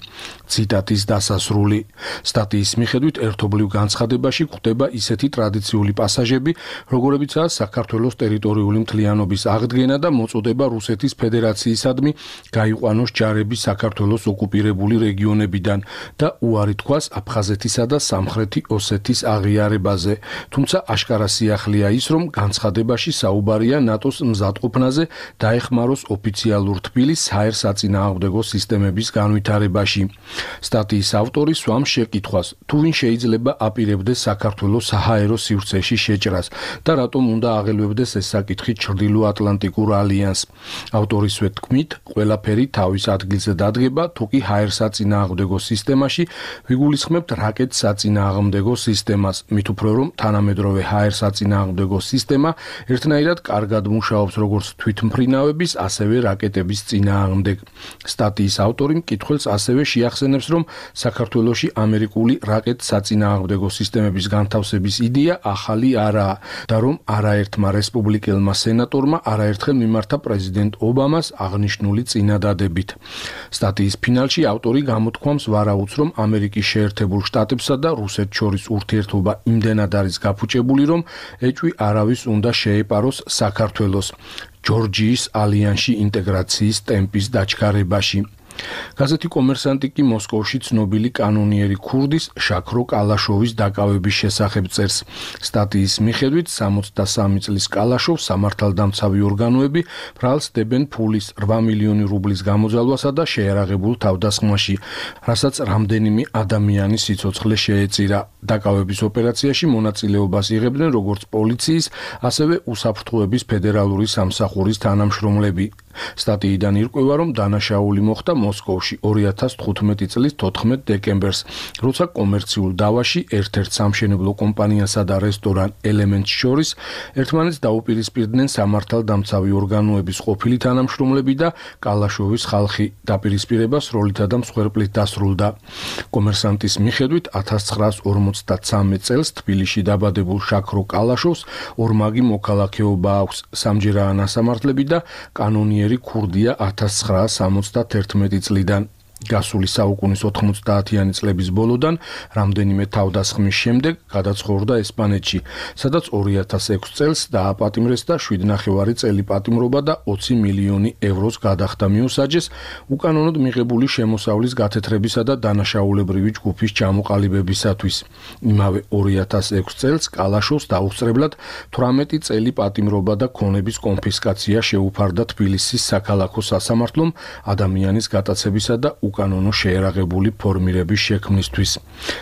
Speaker 20: ციტატის დასასრული. სტატიის მიხედვით ერთობლივ განცხადებაში გვხვდება ისეთი ტრადიციული პასაჟები, როგორებიცაა საქართველოს ტერიტორიული მთლიანობის აღდგენა და მოწოდება რუსეთის ფედერაციისადმი გაიყვანოს ჯარები საქართველოს ოკუპირებული რეგიონებიდან და უარი თქვას აფხაზეთისა და სამხრეთი ოსეთის აღიარებაზე. თუმცა აშკარა სიახლეა ის, რომ განცხადებაში საუბარია ნატოს მზადყოფნაზე დაეხმაროს ოფიციალურ თბილისს საერთსაწინააღმდეგო სისტემების განვითარებაში. სტატიის ავტორი სვამს შეკითხვას, თუ ვინ შეიძლება აპირებდეს საქართველოს საჰაერო სივრცეში შეჭრას და რატომ უნდა აღელვებდეს ეს საკითხი ჩრდილოატლანტიკურ ალიანსს. ავტორისვე თქმით, ყველაფერი თავის ადგილზე დადგება, თუ კი ჰაერსაწინააღმდეგო სისტემაში ვიგულისხმებთ რაკეტსაწინააღმდეგო სისტემას, მით უფრო რომ თანამედროვე ჰაერსაწინააღმდეგო სისტემა ერთნაირად კარგად მუშაობს როგორც თვითმფრინავების, ასევე რაკეტების წინააღმდეგ. სტატიის ავტორი მკითხველს ასევე შეახსენებს, რომ საქართველოში ამერიკული რაკეტსაწინააღმდეგო სისტემების განთავსების იდეა ახალი არაა და რომ არაერთმა რესპუბლიკელმა სენატორმა არაერთხელ მიმართა პრეზიდენტ ობამას აღნიშნული წინადადებით. სტატიის ფინალში ავტორი გამოთქვამს ვარაუდს, რომ ამერიკის შეერთებულ შტატებსა და რუსეთს შორის ურთიერთობა იმდენად არის გაფუჭებული, რომ ეჭვი არავის უნდა შეეპაროს საქართველოს ჯორჯიის ალიანსში ინტეგრაციის ტემპის დაჩქარებაში. გაზეთი კომერსანტი კი მოსკოვში ცნობილი კანონიერი ქურდის შაქრო კალაშოვის დაკავების შესახებ წერს. სტატიის მიხედვით სამოცდასამი წლის კალაშოვს სამართალდამცავი ორგანოები ბრალს დებენ ფულის რვა მილიონი რუბლის გამოძალვასა და შეერაღებულ თავდასხმაში, რასაც რამდენიმე ადამიანის სიცოცხლე შეეწირა. დაკავების ოპერაციაში მონაწილეობას იღებდნენ როგორც პოლიციის, ასევე უსაფრთხოების ფედერალური სამსახურის თანამშრომლები. სტატიიდან ირკვევა, რომ დანაშაული მოხდა მოსკოვში ორი ათას თხუთმეტი წლის თოთხმეტ დეკემბერს, როცა კომერციულ დავაში ერთ-ერთ სამშენებლო კომპანიასა და რესტორან ელემენტს შორის ერთმანეთს დაუპირისპირდნენ სამართალდამცავი ორგანოების ყოფილი თანამშრომლები და კალაშოვის ხალხი. დაპირისპირება სროლითა და მსხვერპლით დასრულდა. კომერსანტის მიხედვით ათას ცხრაას ორმოცდაცამეტ წელს თბილისში დაბადებულ შაქრო კალაშოვს ორმაგი მოქალაქეობა აქვს, სამჯერაა ნასამართლები და კანონიერი ქურდია ათას ცხრაას სამოცდათერთმეტი წლიდან. გასული საუკუნის ოთხმოცდაათიანი წლების ბოლოდან რამდენიმე თავდასხმის შემდეგ გადაცხოვრდა ესპანეთში, სადაც ორი ათას ექვსი წელს დააპატიმრეს და შვიდ ნახევარი წელი პატიმრობა და ოცი მილიონი ევროს გადახდა მიუსაჯეს უკანონოდ მიღებული შემოსავლის გათეთრებისა და დანაშაულებრივი ჯგუფის ჩამოყალიბებისათვის. იმავე ორი ათას ექვსი წელს კალაშოვს დაუსწრებლად თვრამეტი წელი პატიმრობა და ქონების კონფისკაცია შეუფარდა თბილისის საქალაქო სასამართლომ ადამიანის გატაცებისა და უკანონო შეერაღებული ფორმირების შექმნისთვის.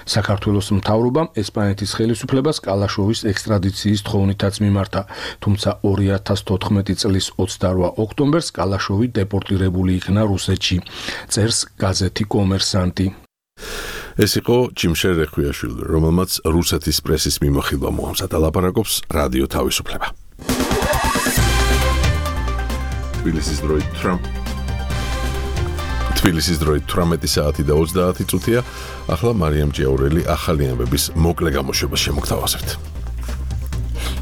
Speaker 20: საქართველოს მთავრობამ ესპანეთის ხელისუფლებას კალაშოვის ექსტრადიციის თხოვნითაც მიმართა, თუმცა ორი ათას თოთხმეტი წლის ოცდარვა ოქტომბერს კალაშოვი დეპორტირებული იქნა რუსეთში. წერს გაზეთი კომერსანტი.
Speaker 1: ეს იყო ჯიმშერ რეხვიაშვილი, რომელმაც რუსეთის პრესის მიმოხილვა მოამზადა. ლაპარაკობს რადიო თავისუფლება. თბილისის დროით ტრამპ თბილისის დროით თვრამეტი საათი და ოცდაათი წუთია. ახლა მარიამ ჭიაურელი ახალი ამბების მოკლე გამოშვებას შემოგთავაზებთ.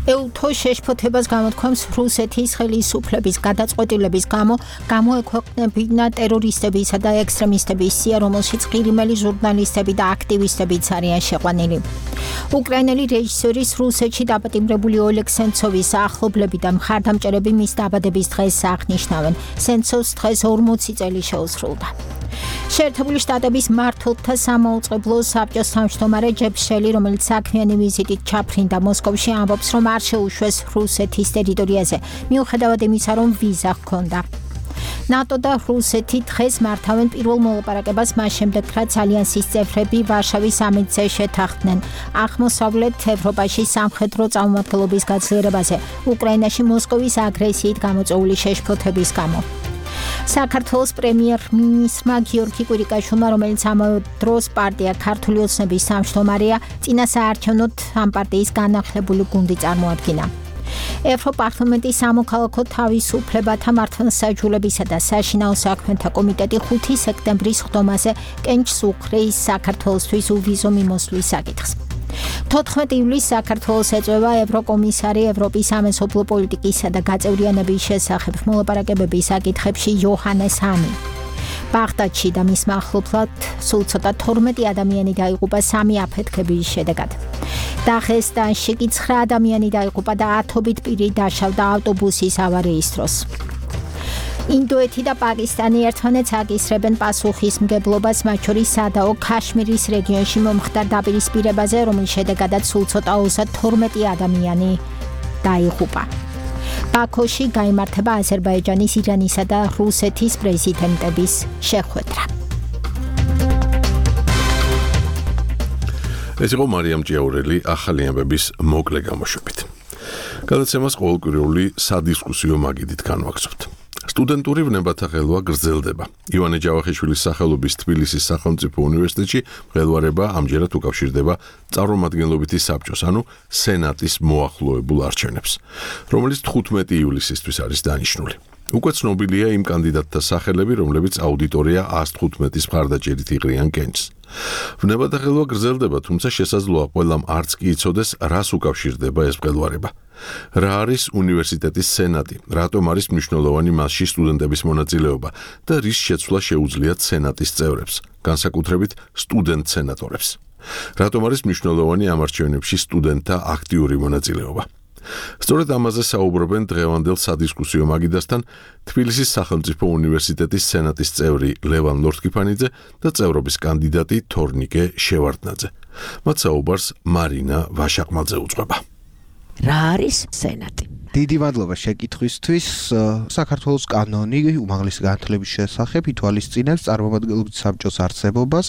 Speaker 2: ელთო შეშფოთებას გამოთქვამს რუსეთის ხელისუფლების გადაწყვეტილების გამო გამოექვეყნებინა ტერორისტებისა და ექსტრემისტების სია, რომელშიც ყირიმელი ჟურნალისტები და აქტივისტებიც არიან შეყვანილი. უკრაინელი რეჟისორის რუსეთში დაპატიმრებული ოლეგ სენცოვის ახლობლები და მხარდამჭერები მის დაბადების დღეს აღნიშნავენ. სენცოვს დღეს ორმოცი წელი შეუსრულდა. შეერთებული შტატების მმართველთა სამაუწყებლო საბჭოს თავმჯდომარე ჯებ შელი, რომელიც საქმიანი ვიზიტით ჩაფრინდა მოსკოვში, ამბობს, რომ არ შეუშვეს რუსეთის ტერიტორიაზე, მიუხედავად იმისა, რომ ვიზა ჰქონდა. ნატო და რუსეთი დღეს მართავენ პირველ მოლაპარაკებას მას შემდეგ, რაც ალიანსის წევრები ვარშავის სამიტზე შეთანხმდნენ აღმოსავლეთ ევროპაში სამხედრო წარმომადგენლობის გაძლიერებაზე, უკრაინაში მოსკოვის აგრესიით გამოწვეული შეშფოთების გამო. საქართველოს პრემიერ-მინისტრმა გიორგი კვირიკაშვილმა, რომელიც ამავე დროს პარტია ქართული ოცნების თავმჯდომარეა, წინასაარჩევნოდ ამ პარტიის განახლებული გუნდი წარმოადგინა. ევროპარლამენტის სამოქალაქო თავისუფლებათა მართლმსაჯულებისა და საშინაო საქმეთა კომიტეტი ხუთი სექტემბრის ხდომაზე კენჭს უხრეის საქართველოსთვის უვიზო მიმოსვლის საკითხს. თოთხმეტი ივლისს საქართველოს ეწევა ევროკომისარი ევროპის სამეზობლო პოლიტიკისა და გაწევრიანების შესახებ მოლაპარაკებების საკითხებში იოჰანეს ჰანი. ბაღდადში და მის მახლობლად სულ ცოტა თორმეტი ადამიანი დაიღუპა სამი აფეთქების შედეგად. დაღესტანში კი ცხრა ადამიანი დაიღუპა და ათობით პირი დაშავდა ავტობუსის ავარიის დროს. ინდოეთი და პაკისტანი ერთმანეთს აკისრებენ პასუხისმგებლობას, მათ შორის სადაო ქაშმირის რეგიონში მომხდარ დაპირისპირებაზე, რომლის შედეგადაც სულ ცოტა ოცდათორმეტი ადამიანი დაიღუპა. ბაქოში გაიმართება აზერბაიჯანის, ირანისა და რუსეთის პრეზიდენტების შეხვედრა.
Speaker 1: ეს იყო მარიამ ჭიაურელი ახალი ამბების მოკლე გამოშვებით. გადაცემას ყოველკვირეული სადისკუსიო მაგიდით განვაგრძობთ. სტუდენტური ვნებათა ხელვა გრძელდება. ივანე ჯავახიშვილის სახელობის თბილისის სახელმწიფო უნივერსიტეტში მღელვარება ამჯერად უკავშირდება წარმომადგენლობითი საბჭოს, ანუ სენატის მოახლოებულ არჩევნებს, რომელიც თხუთმეტი ივლისისთვის არის დანიშნული. უკვე ცნობილია იმ კანდიდატთა სახელები, რომლებიც აუდიტორია ას თხუთმეტის მხარდაჭერით იღრიან კენჭს. ვნებათა ხელვა გრძელდება, თუმცა შესაძლოა ყველამ არც კი იცოდეს, რას უკავშირდება ეს მღელვარება. რა არის უნივერსიტეტის სენატი, რატომ არის მნიშვნელოვანი მასში სტუდენტების მონაწილეობა და რის შეცვლა შეუძლიათ სენატის წევრებს, განსაკუთრებით სტუდენტ სენატორებს. რატომ არის მნიშვნელოვანი ამ არჩევნებში სტუდენტთა აქტიური მონაწილეობა. სწორედ ამაზე საუბრობენ დღევანდელ სადისკუსიო მაგიდასთან თბილისის სახელმწიფო უნივერსიტეტის სენატის წევრი ლევან ლორთქიფანიძე და წევრობის კანდიდატი თორნიკე შევარდნაძე. მათ საუბარს მარინა ვაშაყმაძე უძღვება.
Speaker 21: რა არის სენატი?
Speaker 7: დიდი მადლობა შეკითხვისთვის. საქართველოს კანონი უმაღლესი განათლების შესახებ ითვალისწინებს წარმომადგენლობითი საბჭოს არსებობას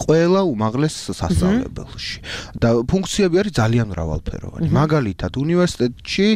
Speaker 7: ყველა უმაღლეს სასწავლებელში. და ფუნქციები არის ძალიან მრავალფეროვანი. მაგალითად, უნივერსიტეტში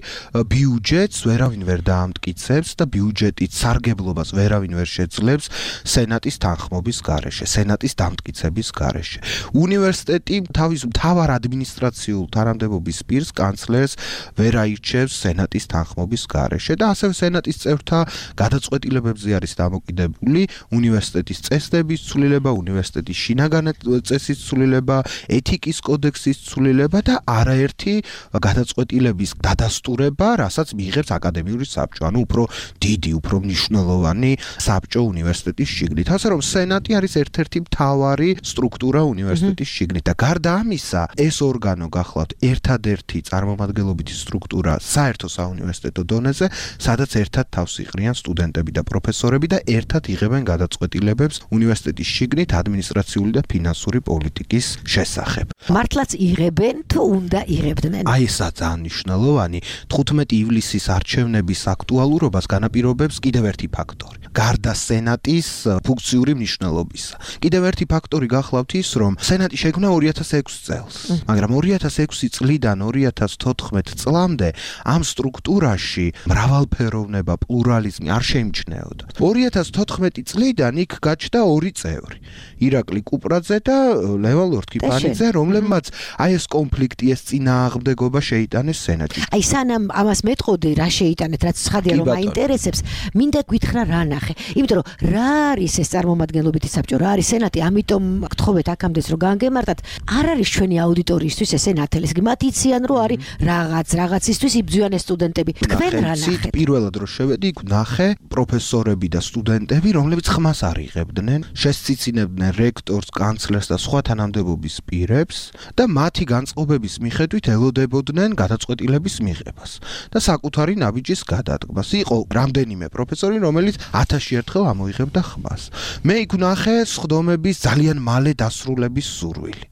Speaker 7: ბიუჯეტს ვერავინ ვერ დაამტკიცებს და ბიუჯეტით სარგებლობას ვერავინ ვერ შეძლებს სენატის თანხმობის გარეშე, სენატის დამტკიცების გარეშე. უნივერსიტეტი თავის მთავარ ადმინისტრაციულ თანამდებობის პირს, კანცლერს ვერ აირჩევს სენატის სენატის თანხმობის გარეშე და ასევე სენატის წევრთა გადაწყვეტილებებზე არის დამოკიდებული უნივერსიტეტის წესდების ცვლილება, უნივერსიტეტის შინაგანი წესის ცვლილება, ეთიკის კოდექსის ცვლილება და არაერთი გადაწყვეტილების დადასტურება, რასაც მიიღებს აკადემიური საბჭო, ანუ უფრო დიდი, უფრო მნიშვნელოვანი საბჭო უნივერსიტეტის შიგნით. ასე რომ სენატი არის ერთ-ერთი მთავარი სტრუქტურა უნივერსიტეტის შიგნით და გარდა ამისა, ეს ორგანო გახლავთ ერთადერთი წარმომადგენლობითი სტრუქტურა საერთო საუნივერსიტეტო დონეზე, სადაც ერთად თავს იყრიან სტუდენტები და პროფესორები და ერთად იღებენ გადაწყვეტილებებს უნივერსიტეტის შიგნით ადმინისტრაციული და ფინანსური პოლიტიკის შესახებ.
Speaker 21: მართლაც იღებენ თუ უნდა იღებდნენ?
Speaker 7: აი ესა ძალიან მნიშვნელოვანი. თხუთმეტი ივლისის არჩევნების აქტუალურობას განაპირობებს კიდევ ერთი ფაქტორი. გარდა სენატის ფუნქციური მნიშვნელობისა. კიდევ ერთი ფაქტორი გახლავთ ის, რომ სენატი შექმნა ორი ათას ექვსი წელს, მაგრამ ორი ათას ექვსი წლიდან ორი ათას თოთხმეტ წლამდე ამ სტრუქტურაში მრავალფეროვნება, პლურალიზმი არ შეიმჩნეოდა. ორი ათას თოთხმეტი წლიდან იქ გაჩნდა ორი წევრი, ირაკლი კუპრაძე და ლევან ლორთქიფანიძე, რომლებმაც აი ეს конფლიქტი, ეს წინააღმდეგობა შეიტანეს სენატში.
Speaker 21: აი სანამ ამას მეტყოდი, რა შეიტანეთ, რაც ცხადია რომ აინტერესებს, მინდა გითხრა რა ნახე. იმიტომ რომ რა არის ეს წარმომადგენლობითი საბჭო, რა არის სენატი, ამიტომ გთხოვეთ აქამდეც რომ განგემართათ, არ არის ჩვენი აუდიტორიისთვის ესე ნათელისგი. მათ იციან რომ არის რაღაც რაღაცისთვის იბძვიან ეს სტუდენტები. თქვენ რა ნახეთ?
Speaker 7: პირველად რო შევედი, იქ ნახე პროფესორები და სტუდენტები, რომლებიც ხმას არ იღებდნენ, შესწიცინებდნენ რექტორს, კანცლერს და სხვა თანამდებობის პირებს და მათი განწყობების მიხედვით ელოდებოდნენ გადაწყვეტილების მიღებას და საკუთარი ნაბიჯის გადადგმას. იყო რამდენიმე პროფესორი, რომელიც ათასში ერთხელ ამოიღებდა ხმას. მე იქ ნახე სხდომების ძალიან მალე დასრულების სურვილი.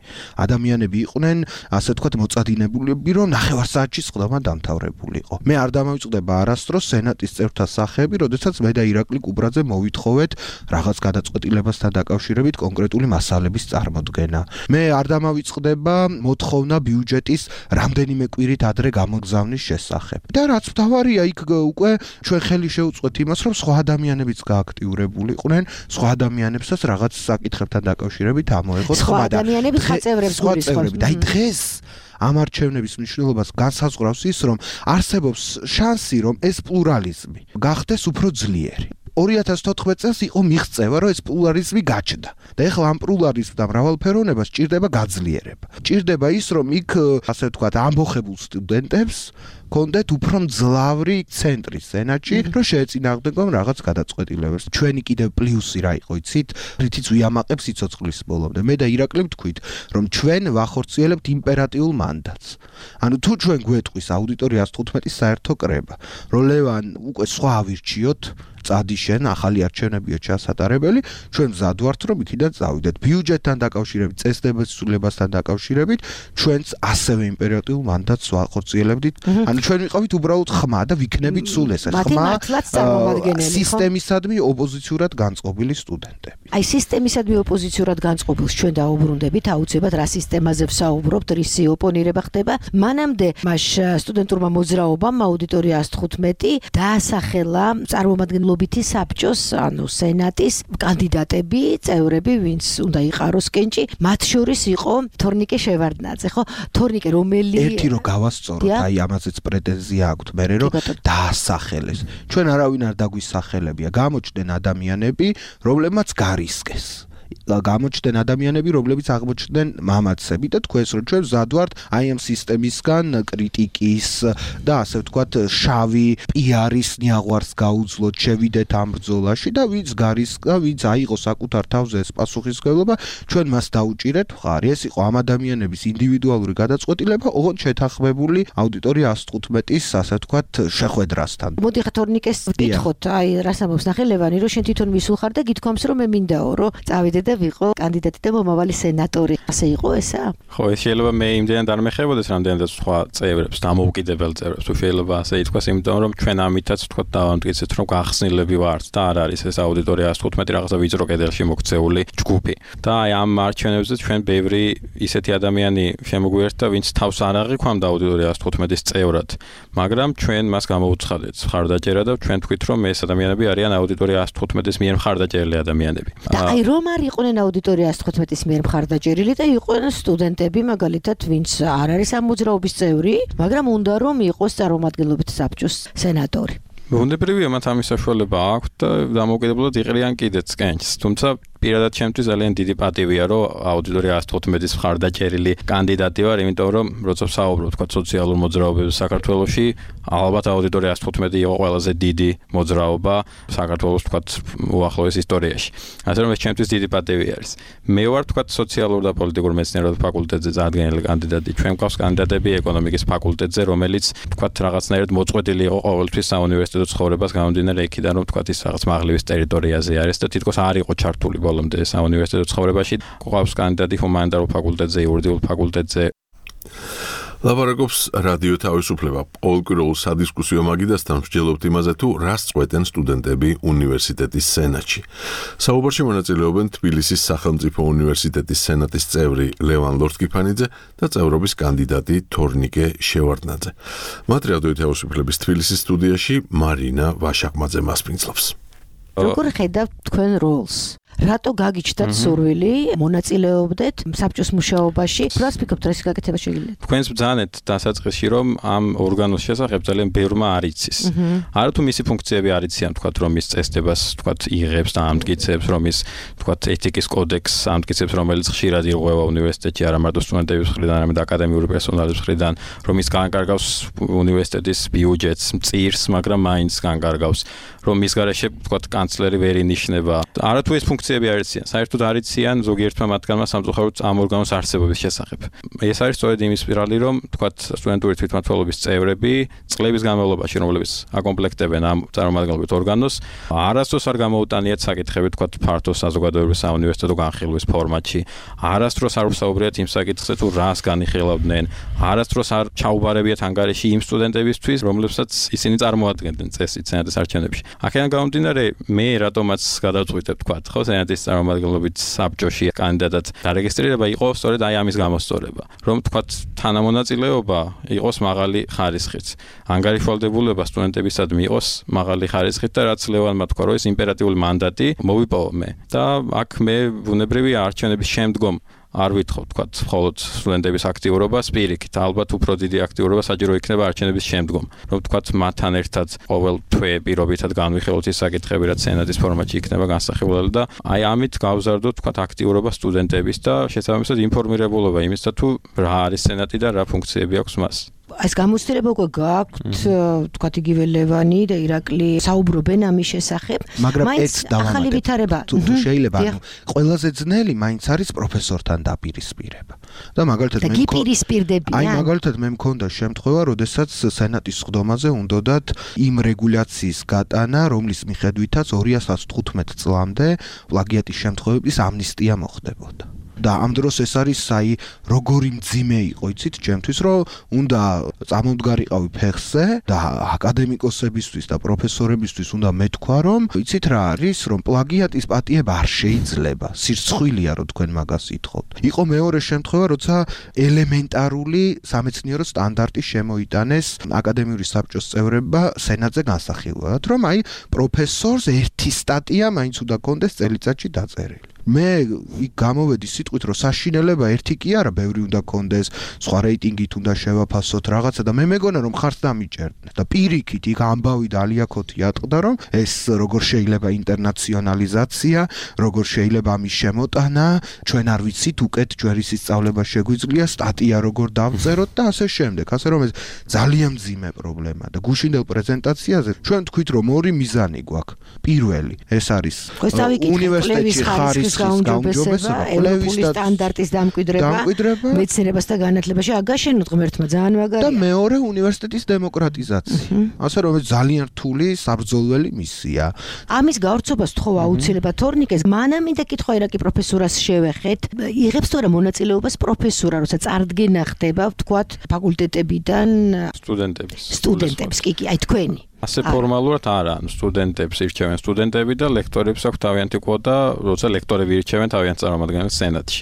Speaker 7: ადამიანები იყვნენ, ასე ვთქვათ, მოწადინებულები, რომ ნახევარსაათში სხდომა დამთავრებულიყო. მე არ დამავიწყდება არასდროს სენატის წევრთა სახეები, როდესაც მე და ირაკლი კუპრაძე მოვითხოვეთ რაღაც გადაწყვეტილებასთან დაკავშირებით კონკრეტული მასალების წარმოდგენა. მე არ დამავიწყდება მოთხოვნა ბიუჯეტის რამდენიმე კვირით ადრე გამოგზავნის შესახებ. და რაც მთავარია, იქ უკვე ჩვენ ხელი შევუწყოთ იმას, რომ სხვა ადამიანებიც გააქტიურებული იყვნენ, სხვა ადამიანებსაც რაღაც საკითხებთან დაკავშირებით ამოეღოთ
Speaker 21: სხვა ადამიანები სხვა წევრებს გულისხმობთ.
Speaker 7: და დღეს ამ არჩევნების მნიშვნელობას განსაზღვრავს ის, რომ არსებობს შანსი, რომ ეს პლურალიზმი გახდეს უფრო ძლიერი. ორი ათას თოთხმეტ წელს იყო მიღწევა, რომ ეს პლურალიზმი გაჩნდა. და ეხლა ამ პლურალიზმს და მრავალფეროვნებას ჭირდება გაძლიერება. ჭირდება ის, რომ იქ, ასე ვთქვათ, ამბოხებულ სტუდენტებს კონდეთ უფრო მძლავრი ცენტრი სენატში, რომ შეეწინააღმდეგონ რაღაც გადაწყვეტილებებს. ჩვენი კიდევ პლუსი რა იყო, იცით? რითიც ვიამაყებ სიცოცხლის ბოლომდე. მე და ირაკლი ვთქვით, რომ ჩვენ ვახორციელებთ იმპერატიულ მანდატს. ანუ თუ ჩვენ გვეტყვის აუდიტორიას თხუთმეტის საერთო კრება, რომ ლევან უკვე სხვა ავირჩიოთ, წადიშენ, ახალი არჩევნებია ჩასატარებელი, ჩვენ მზად ვართ, რომ იქიდან წავიდეთ. ბიუჯეტთან დაკავშირებით, წესდების ცვლილებასთან დაკავშირებით, ჩვენც ასევე იმპერატიულ მანდატს ვახორციელებდით. ანუ ჩვენ ვიყავით უბრალოდ ხმა და ვიქნებით სულ ეს ხმა სისტემისადმი ოპოზიციურად განწყობილი სტუდენტები.
Speaker 21: აი სისტემისადმი ოპოზიციურად განწყობილს ჩვენ დაუბრუნდებით, აუცილებლად რა სისტემაზე ვსაუბრობთ, რისი ოპონირება ხდება. მანამდე მას სტუდენტურმა მოძრაობამ აუდიტორია თხუთმეტი დაასახელა წარმომადგენლობითი საბჭოს, ანუ სენატის კანდიდატები, წევრები, ვინც უნდა იყაროს კენჭი, მათ შორის იყო თორნიკე შევარდნაძე, ხო? თორნიკე რომელი
Speaker 7: ერთი რო გავასწოროთ, აი ამაზეც პრეტენზია აქვს მერე რომ დაასახელეს. ჩვენ არავინ არ დაგვისახელებია, გამოჩნდნენ ადამიანები, რომლებმაც გარისკეს. გამოჩნდნენ ადამიანები, რომლებიც აღმოჩნდნენ მამაცები და თქვენს რომ ჩვენ მზად ვართ აი ამ სისტემისგან კრიტიკის და ასე ვთქვათ შავი პიარის ნიაღვარს გაუძლოთ, შევიდეთ ამ ბრძოლაში და ვინც გარისკა, ვინც აიღო საკუთარ თავზე ეს პასუხისმგებლობა, ჩვენ მას დაუჭირეთ მხარი. ეს იყო ამ ადამიანების ინდივიდუალური გადაწყვეტილება, ოღონდ შეთანხმებული აუდიტორია ას თხუთმეტის, ასე ვთქვათ, შეხვედრასთან.
Speaker 21: მოდი ხა თორნიკეს ვკითხოთ, აი რას ამბობს ნახე ლევანი, რომ შენ თვითონ მისულ ხარ და გითქვამს რომ მე მინდაო, რომ წავიდე და ვიყო კანდიდატი და მომავალი სენატორი. ასე იყო ესა?
Speaker 8: ხო, ეს შეიძლება მე იმდენად არ მეხებოდეს, რამდენადაც სხვა წევრებს, დამოუკიდებელ წევრებს, თუ შეიძლება ასე ითქვას, იმიტომ რომ ჩვენ ამითაც ვთქვათ დავამტკიცეთ, რომ გახსნილები ვართ და არ არის ეს აუდიტორია ას თხუთმეტი რაღაცა ვიწრო კედელში მოქცეული ჯგუფი. და აი ამ არჩევნებზე ჩვენ ბევრი ისეთი ადამიანი შემოგვიერთდა, ვინც თავს არ აღიქვამდა აუდიტორია ას თხუთმეტის წევრად, მაგრამ ჩვენ მას გამოვუცხადეთ მხარდაჭერა და ჩვენ თქვით, რომ ეს ადამიანები არიან აუდიტორია ას თხუთმეტის მიერ მხარდაჭერილი ადამიანები.
Speaker 21: და აი რომ არის იყვნენ აუდიტორია ას თხუთმეტის მიერ მხარდაჭერილი და იყვნენ სტუდენტები, მაგალითად, ვინც არ არის ამ მოძრაობის წევრი, მაგრამ უნდა რომ იყოს წარმომადგენლობით საბჭოს სენატორი.
Speaker 8: უნდებრივია მათ ამის საშუალება აქვს და დამოუკიდებლად იყრიან კიდეც კენჭს, თუმცა პირადად ჩემთვის ძალიან დიდი პატივია, რომ აუდიტორია ას თხუთმეტის მხარდაჭერილი კანდიდატი ვარ, იმიტომ რომ როცა ვსაუბრობ თქვა სოციალურ მოძრაობებზე საქართველოში, ალბათ აუდიტორია ას თხუთმეტი იყო ყველაზე დიდი მოძრაობა საქართველოს თქვა უახლოეს ისტორიაში. ასე რომ ეს ჩემთვის დიდი პატივი არის. მე ვარ თქვა სოციალურ და პოლიტიკურ მეცნიერებათა ფაკულტეტზე წარდგენილი კანდიდატი. ჩვენ გვყავს კანდიდატები ეკონომიკის ფაკულტეტზე, რომელიც თქვა რაღაცნაირად მოწყვეტილი იყო ყოველთვის საუნივერსიტეტო ცხოვრებას გამომდინარე იქიდან, რომ თქვა ის რაღაც მაღლივის ტერიტორიაზე არის და თითქოს არ იყო ჩართული ბოლომდე საუნივერსიტეტო ცხოვრებაში. გვყავს კანდიდატი ჰუმანიტარულ ფაკულტეტზე, იურიდიულ ფაკულტეტზე.
Speaker 1: ლაპარაკობს რადიო თავისუფლება. ყოველკვირეულ სადისკუსიო მაგიდასთან მსჯელობთ იმაზე, თუ რას წყვეტენ სტუდენტები უნივერსიტეტის სენატში. საუბარში მონაწილეობენ თბილისის სახელმწიფო უნივერსიტეტის სენატის წევრი ლევან ლორთქიფანიძე და წევრობის კანდიდატი თორნიკე შევარდნაძე. მათ რადიო თავისუფლების თბილისის სტუდიაში მარინა ვაშაკმაძე მასპინძლობს.
Speaker 21: როგორ ხედავთ თქვენ როლს? რატო გაგიჩნდათ სურვილი მონაწილეობდეთ საბჭოს მუშაობაში? რას ფიქრობთ, რა გაკეთება შეიძლება?
Speaker 8: თქვენს ბრძანეთ დასაწყისში, რომ ამ ორგანოს შესახებ ძალიან ბევრმა არ იცის. არა თუ მისი ფუნქციები არ იციან, თქვათ, რომ ის წესდებას, თქვათ, იღებს და ამტკიცებს, რომ ის, თქვათ, ეთიკის კოდექსს ამტკიცებს, რომელიც ხშირად ირღვევა უნივერსიტეტში, არა მარტო სტუდენტების მხრიდან, არამედ აკადემიური პერსონალის მხრიდან, რომ ის განკარგავს უნივერსიტეტის ბიუჯეტს, მწირს, მაგრამ მაინც განკარგავს, რომ ის გარეშე, თქვათ, კანცლერი ვერ ინიშნება. არა თუ ეს ფუნქციები არ იციან, საერთოდ არ იციან ზოგიერთმა მათგანმა სამწუხაროდ ამ ორგანოს არსებობის შესახებ. ეს არის სწორედ იმის სპირალი, რომ თქვათ სტუდენტური თვითმმართველობის წევრები წლების განმავლობაში, რომლებიც აკომპლექტებენ ამ წარმომადგენლობით ორგანოს, არასდროს არ გამოუტანიათ საკითხები, თქვათ ფართო საზოგადოებრივი საუნივერსიტეტო განხილვის ფორმატში. არასდროს არ ვსაუბრიათ იმ საკითხზე, თუ რას განიხილავდნენ, არასდროს არ ჩაუბარებიათ ანგარიში იმ სტუდენტებისთვის, რომლებსაც ისინი წარმოადგენდნენ წესით სენატის არჩევნებში. აქედან გამომდინარე, მე რატომაც გადავწყვიტებ, თქვათ, ხო, სენატის წარმომადგენლობით საბჭოში კანდიდატად დარეგისტრირება იყო სწორედ აი ამის გამოსწორება, რომ თქვათ თანამონაწილეობა იყოს მაღალი ხარისხით. ანგარიშვალდებულება სტუდენტებისადმი იყოს მაღალი ხარისხით და რაც ლევანმა თქვა, რომ ეს იმპერატიული მანდატი მოვიპოვო მე. და აქ მე ბუნებრივია არჩევნების შემდგომ არ ვითხოვ, თქვათ, მხოლოდ სტუდენტების აქტიურობას პირიქით, ალბათ უფრო დიდი აქტიურობა საჭირო იქნება არჩევნების შემდგომ, რომ თქვათ, მათთან ერთად ყოველ თვე პირობითად განვიხილოთ ის საკითხები, რაც სენატის ფორმატში იქნება განსახილველი და აი ამით გავზარდოთ, თქვათ, აქტიურობა სტუდენტების და შესაბამისად ინფორმირებულობა იმისა, თუ რა არის სენატი და რა ფუნქციები აქვს მას.
Speaker 21: ეს გამოცდილება უკვე გაქვთ, თქვათ, იგივე ლევანი და ირაკლი საუბრობენ ამის შესახებ,
Speaker 7: მაგრამ ეს
Speaker 21: ახალი ვითარება
Speaker 7: თუ შეიძლება, ანუ ყველაზე ძნელი მაინც არის პროფესორთან დაპირისპირება. და მაგალითად
Speaker 21: მე გიპირისპირდებიან.
Speaker 7: აი მაგალითად მე მქონდა შემთხვევა, როდესაც სენატის სხდომაზე უნდათ იმ რეგულაციის გატანა, რომლის მიხედვითაც ორი ათას თხუთმეტ წლამდე პლაგიატის შემთხვევების ამნისტია მოხდებოდა. და ამ დროს ეს არის აი როგორი მძიმე იყო, იცით, ჩემთვის, რომ უნდა წამომდგარიყავი ფეხზე და აკადემიკოსებისთვის და პროფესორებისთვის უნდა მეთქვა, რომ იცით რა არის, რომ პლაგიატის პატიება არ შეიძლება, სირცხვილია, რომ თქვენ მაგას ითხოვთ. იყო მეორე შემთხვევა, როცა ელემენტარული სამეცნიერო სტანდარტი შემოიტანეს აკადემიური საბჭოს წევრებმა სენატზე განსახილველად, რომ აი პროფესორს ერთი სტატია მაინც უნდა კონდეს წელიწადში დაწერილი. მე იქ გამოვედი სიტყვით, რომ საშინელება ერთი კი არა, ბევრი უნდა კონდეს, სხვა რეიტინგით უნდა შევაფასოთ რაღაცა და მე მეგონა რომ ხარც დამიჭერდნენ და პირიქით იქ ამბავი და ალიაქოთი ატყდა, რომ ეს როგორ შეიძლება ინტერნაციონალიზაცია, როგორ შეიძლება ამის შემოტანა, ჩვენ არ ვიცით, უკეთ ჯვერის სწავლება შეგვიძლია, სტატია როგორ დავწეროთ და ასე შემდეგ. ასე რომ ეს ძალიან მძიმე პრობლემაა და გუშინდელ პრეზენტაციაზე ჩვენ თქვით, რომ ორი მიზანი გვაქვს. პირველი, ეს არის უნივერსიტეტში ხარის
Speaker 21: გაუმჯობესება, ევროპული სტანდარტის დამკვიდრება, მეცნიერებას და განათლებაში აგაშენოთ ღმერთმა ძალიან მაგარია.
Speaker 7: და მეორე უნივერსიტეტის დემოკრატიზაცია. ასე რომ ეს ძალიან რთული საბრძოლველი მისია.
Speaker 21: ამის გავრცობას თხოვ აუცილებლად თორნიკეს, მანამ მინდა კითხვა ირაკი პროფესორას შევეხეთ. იღებს თუ არა მონაწილეობას პროფესორა, როცა წარდგენა ხდება, ვთქვათ, ფაკულტეტებიდან
Speaker 8: სტუდენტების.
Speaker 21: სტუდენტებს, კი, კი, აი თქვენი.
Speaker 8: ასე ფორმალურად არა, სტუდენტებს ირჩევენ სტუდენტები და ლექტორებს აქვს თავიანთი კვოტა, როცა ლექტორები ირჩევენ თავიანთ წარმომადგენელს სენატში.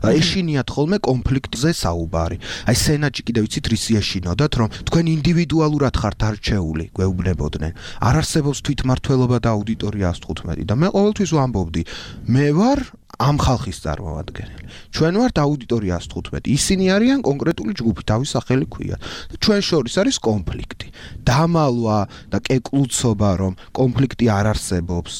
Speaker 7: ეშინიათ ხოლმე კონფლიქტზე საუბარი. აი სენატში კიდევ იცით რის ეშინოდათ, რომ თქვენ ინდივიდუალურად ხართ არჩეული, გვეუბნებოდნენ. არ არსებობს თვითმმართველობა და აუდიტორია ას თხუთმეტი და მე ყოველთვის ვამბობდი, მე ვარ ამ ხალხის წარმომადგენელი. ჩვენ ვართ აუდიტორია ას თხუთმეტი. ისინი არიან კონკრეტული ჯგუფი, თავის სახელი ქვია. ჩვენ შორის არის კონფლიქტი. დამალვა და კეკლუცობა, რომ კონფლიქტი არ არსებობს.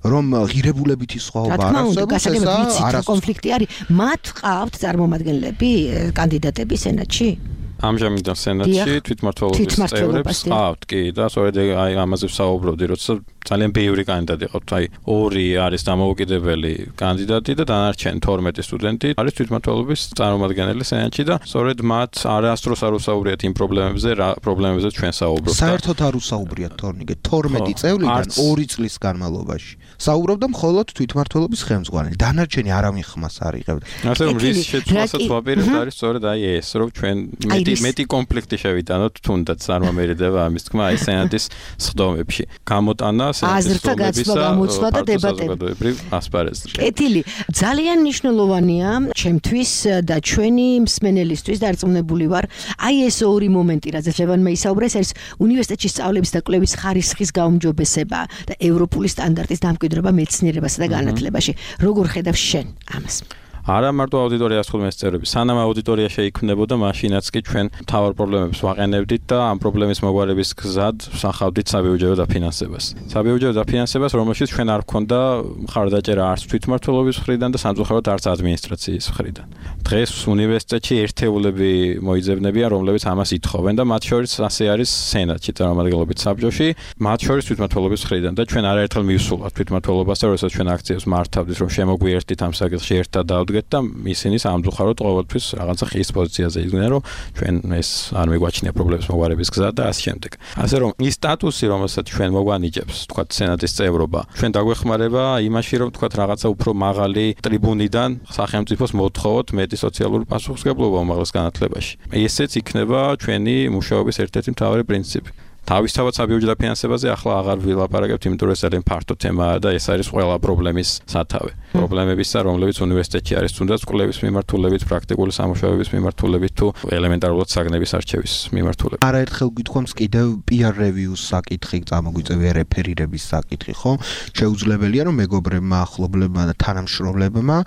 Speaker 7: რომ ღირებულებითი სხვაობა
Speaker 21: არსებობს, ეს არა კონფლიქტი არის. მათ ყავთ წარმომადგენლები, კანდიდატები სენატში?
Speaker 8: ამჟამად სენატში თვითმმართველობის წევრებს ყავთ კი და სწორედ აი ამაზე ვსაუბრობდი, როცა ძალიან ბევრი კანდიდატი ყავთ, აი ორი არის დამოუკიდებელი კანდიდატი და დანარჩენი თორმეტი სტუდენტი არის თვითმმართველობის წარმომადგენელი სენატში და სწორედ მათ არასდროს არ უსაუბრიათ იმ პრობლემებზე, რა პრობლემებზე ჩვენ საუბრობთ.
Speaker 7: საერთოდ არ უსაუბრიათ თორნიკე, თორმეტი წევრიდან ორი წლის განმავლობაში. საუბრობდა მხოლოდ თვითმმართველობის ხელმძღვანელი. დანარჩენი არავინ ხმას არ იღებდა.
Speaker 8: ასე რომ რის შეცვლასაც ვაპირებთ არის სწორედ აი ეს, რომ ჩვენ მეტი მეტი კონფლიქტი შევიტანოთ, თუნდაც არ მომერიდება ამის თქმა აი სენატის სხდომებში. გამოტანა
Speaker 21: აზრთა გაცნობა, გამოცვლა და დებატები
Speaker 8: ასპარეზზე.
Speaker 21: კეთილი, ძალიან მნიშვნელოვანია ჩემთვის და ჩვენი მსმენელისთვის დარწმუნებული ვარ, აი ეს ორი მომენტი, რაზეც ლევანმა ისაუბრა, ეს არის უნივერსიტეტში სწავლების და კვლევის ხარისხის გაუმჯობესება და ევროპული სტანდარტის დამკვიდრება მეცნიერებასა და განათლებაში. როგორ ხედავ შენ ამას?
Speaker 8: არა მარტო აუდიტორიას თხოვნეს წევრები, სანამ აუდიტორია შეიქმნებოდა, მაშინაც კი ჩვენ მთავარ პრობლემებს ვაყენებდით და ამ პრობლემის მოგვარების გზად ვსახავდით საბიუჯეტო დაფინანსებას. საბიუჯეტო დაფინანსებას, რომელშიც ჩვენ არ გვქონდა მხარდაჭერა არც თვითმმართველობის მხრიდან და სამწუხაროდ არც ადმინისტრაციის მხრიდან. დღეს უნივერსიტეტში ერთეულები მოიძებნებიან, რომლებიც ამას ითხოვენ და მათ შორის ასე არის სენატში წარმომადგენლობით საბჭოში, მათ შორის თვითმმართველობის მხრიდან და ჩვენ არაერთხელ მივსულვართ თვითმმართველობას და როდესაც ჩვენ აქციებს მართავდით, რომ შემოგვიერთდით ამ საკითხში ერთად და და ისინი სამწუხაროდ ყოველთვის რაღაცა ხის პოზიციაზე იდგნენ, რომ ჩვენ ეს არ მიგვაჩნია პრობლემის მოგვარების გზა და ასე შემდეგ. ასე რომ ის სტატუსი, რომელსაც ჩვენ მოგვანიჭებს, თქვათ სენატის წევრობა, ჩვენ დაგვეხმარება იმაში, რომ თქვათ რაღაცა უფრო მაღალი ტრიბუნიდან სახელმწიფოს მოთხოვოთ მეტი სოციალური პასუხისმგებლობა უმაღლეს განათლებაში. ესეც იქნება ჩვენი მუშაობის ერთ-ერთი მთავარი პრინციპი. თავისთავად საბიუჯეტო დაფინანსებაზე ახლა აღარ ვილაპარაკებთ, იმიტომ რომ ეს ძალიან ფართო თემაა და ეს არის ყველა პრობლემის სათავე. პრობლემებისა, რომლებიც უნივერსიტეტში არის, თუნდაც კვლევის მიმართულებით, პრაქტიკული სამუშაოების მიმართულებით თუ ელემენტარულად საგნების არჩევის მიმართულებით.
Speaker 7: არაერთხელ გითხოვს კიდევ peer review-ს საკითხი, წამოგვიწევია რეფერირების საკითხი, ხო? შეუძლებელია რომ მეგობრებმა, ახლობლებმა და თანამშრომლებმა,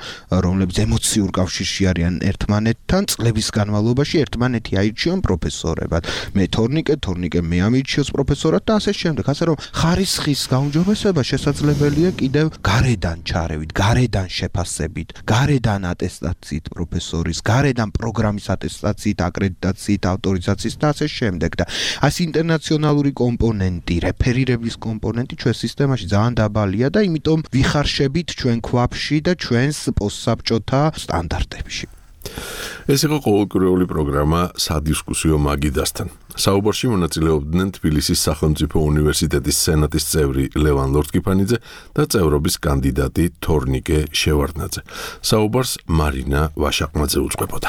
Speaker 7: რომლებიც ემოციურ კავშირში არიან ერთმანეთთან, წლების განმავლობაში ერთმანეთი აირჩიონ პროფესორებად. მე თორნიკე, თორნიკე მე ამი შევს პროფესორად და ასე შემდეგ. ასე რომ ხარისხის გაუმჯობესება შესაძლებელია კიდევ გარედან ჩარევით, გარედან შეფასებით, გარედან ატესტაციით პროფესორის, გარედან პროგრამის ატესტაციით, აკრედიტაციით, ავტორიზაციით და ასე შემდეგ. და ეს ინტერნაციონალური კომპონენტი, რეფერირების კომპონენტი ჩვენ სისტემაში ძალიან დაბალია და იმიტომ ვიხარშებით ჩვენ ქვაბში და ჩვენს პოსტსაბჭოთა სტანდარტებში.
Speaker 1: ეს იყო ყოველკვირეული პროგრამა სადისკუსიო მაგიდასთან. საუბარში მონაწილეობდნენ თბილისის სახელმწიფო უნივერსიტეტის სენატის წევრი ლევან ლორთქიფანიძე და წევრობის კანდიდატი თორნიკე შევარდნაძე. საუბარს მარინა ვაშაყმაძე უძღვებოდა.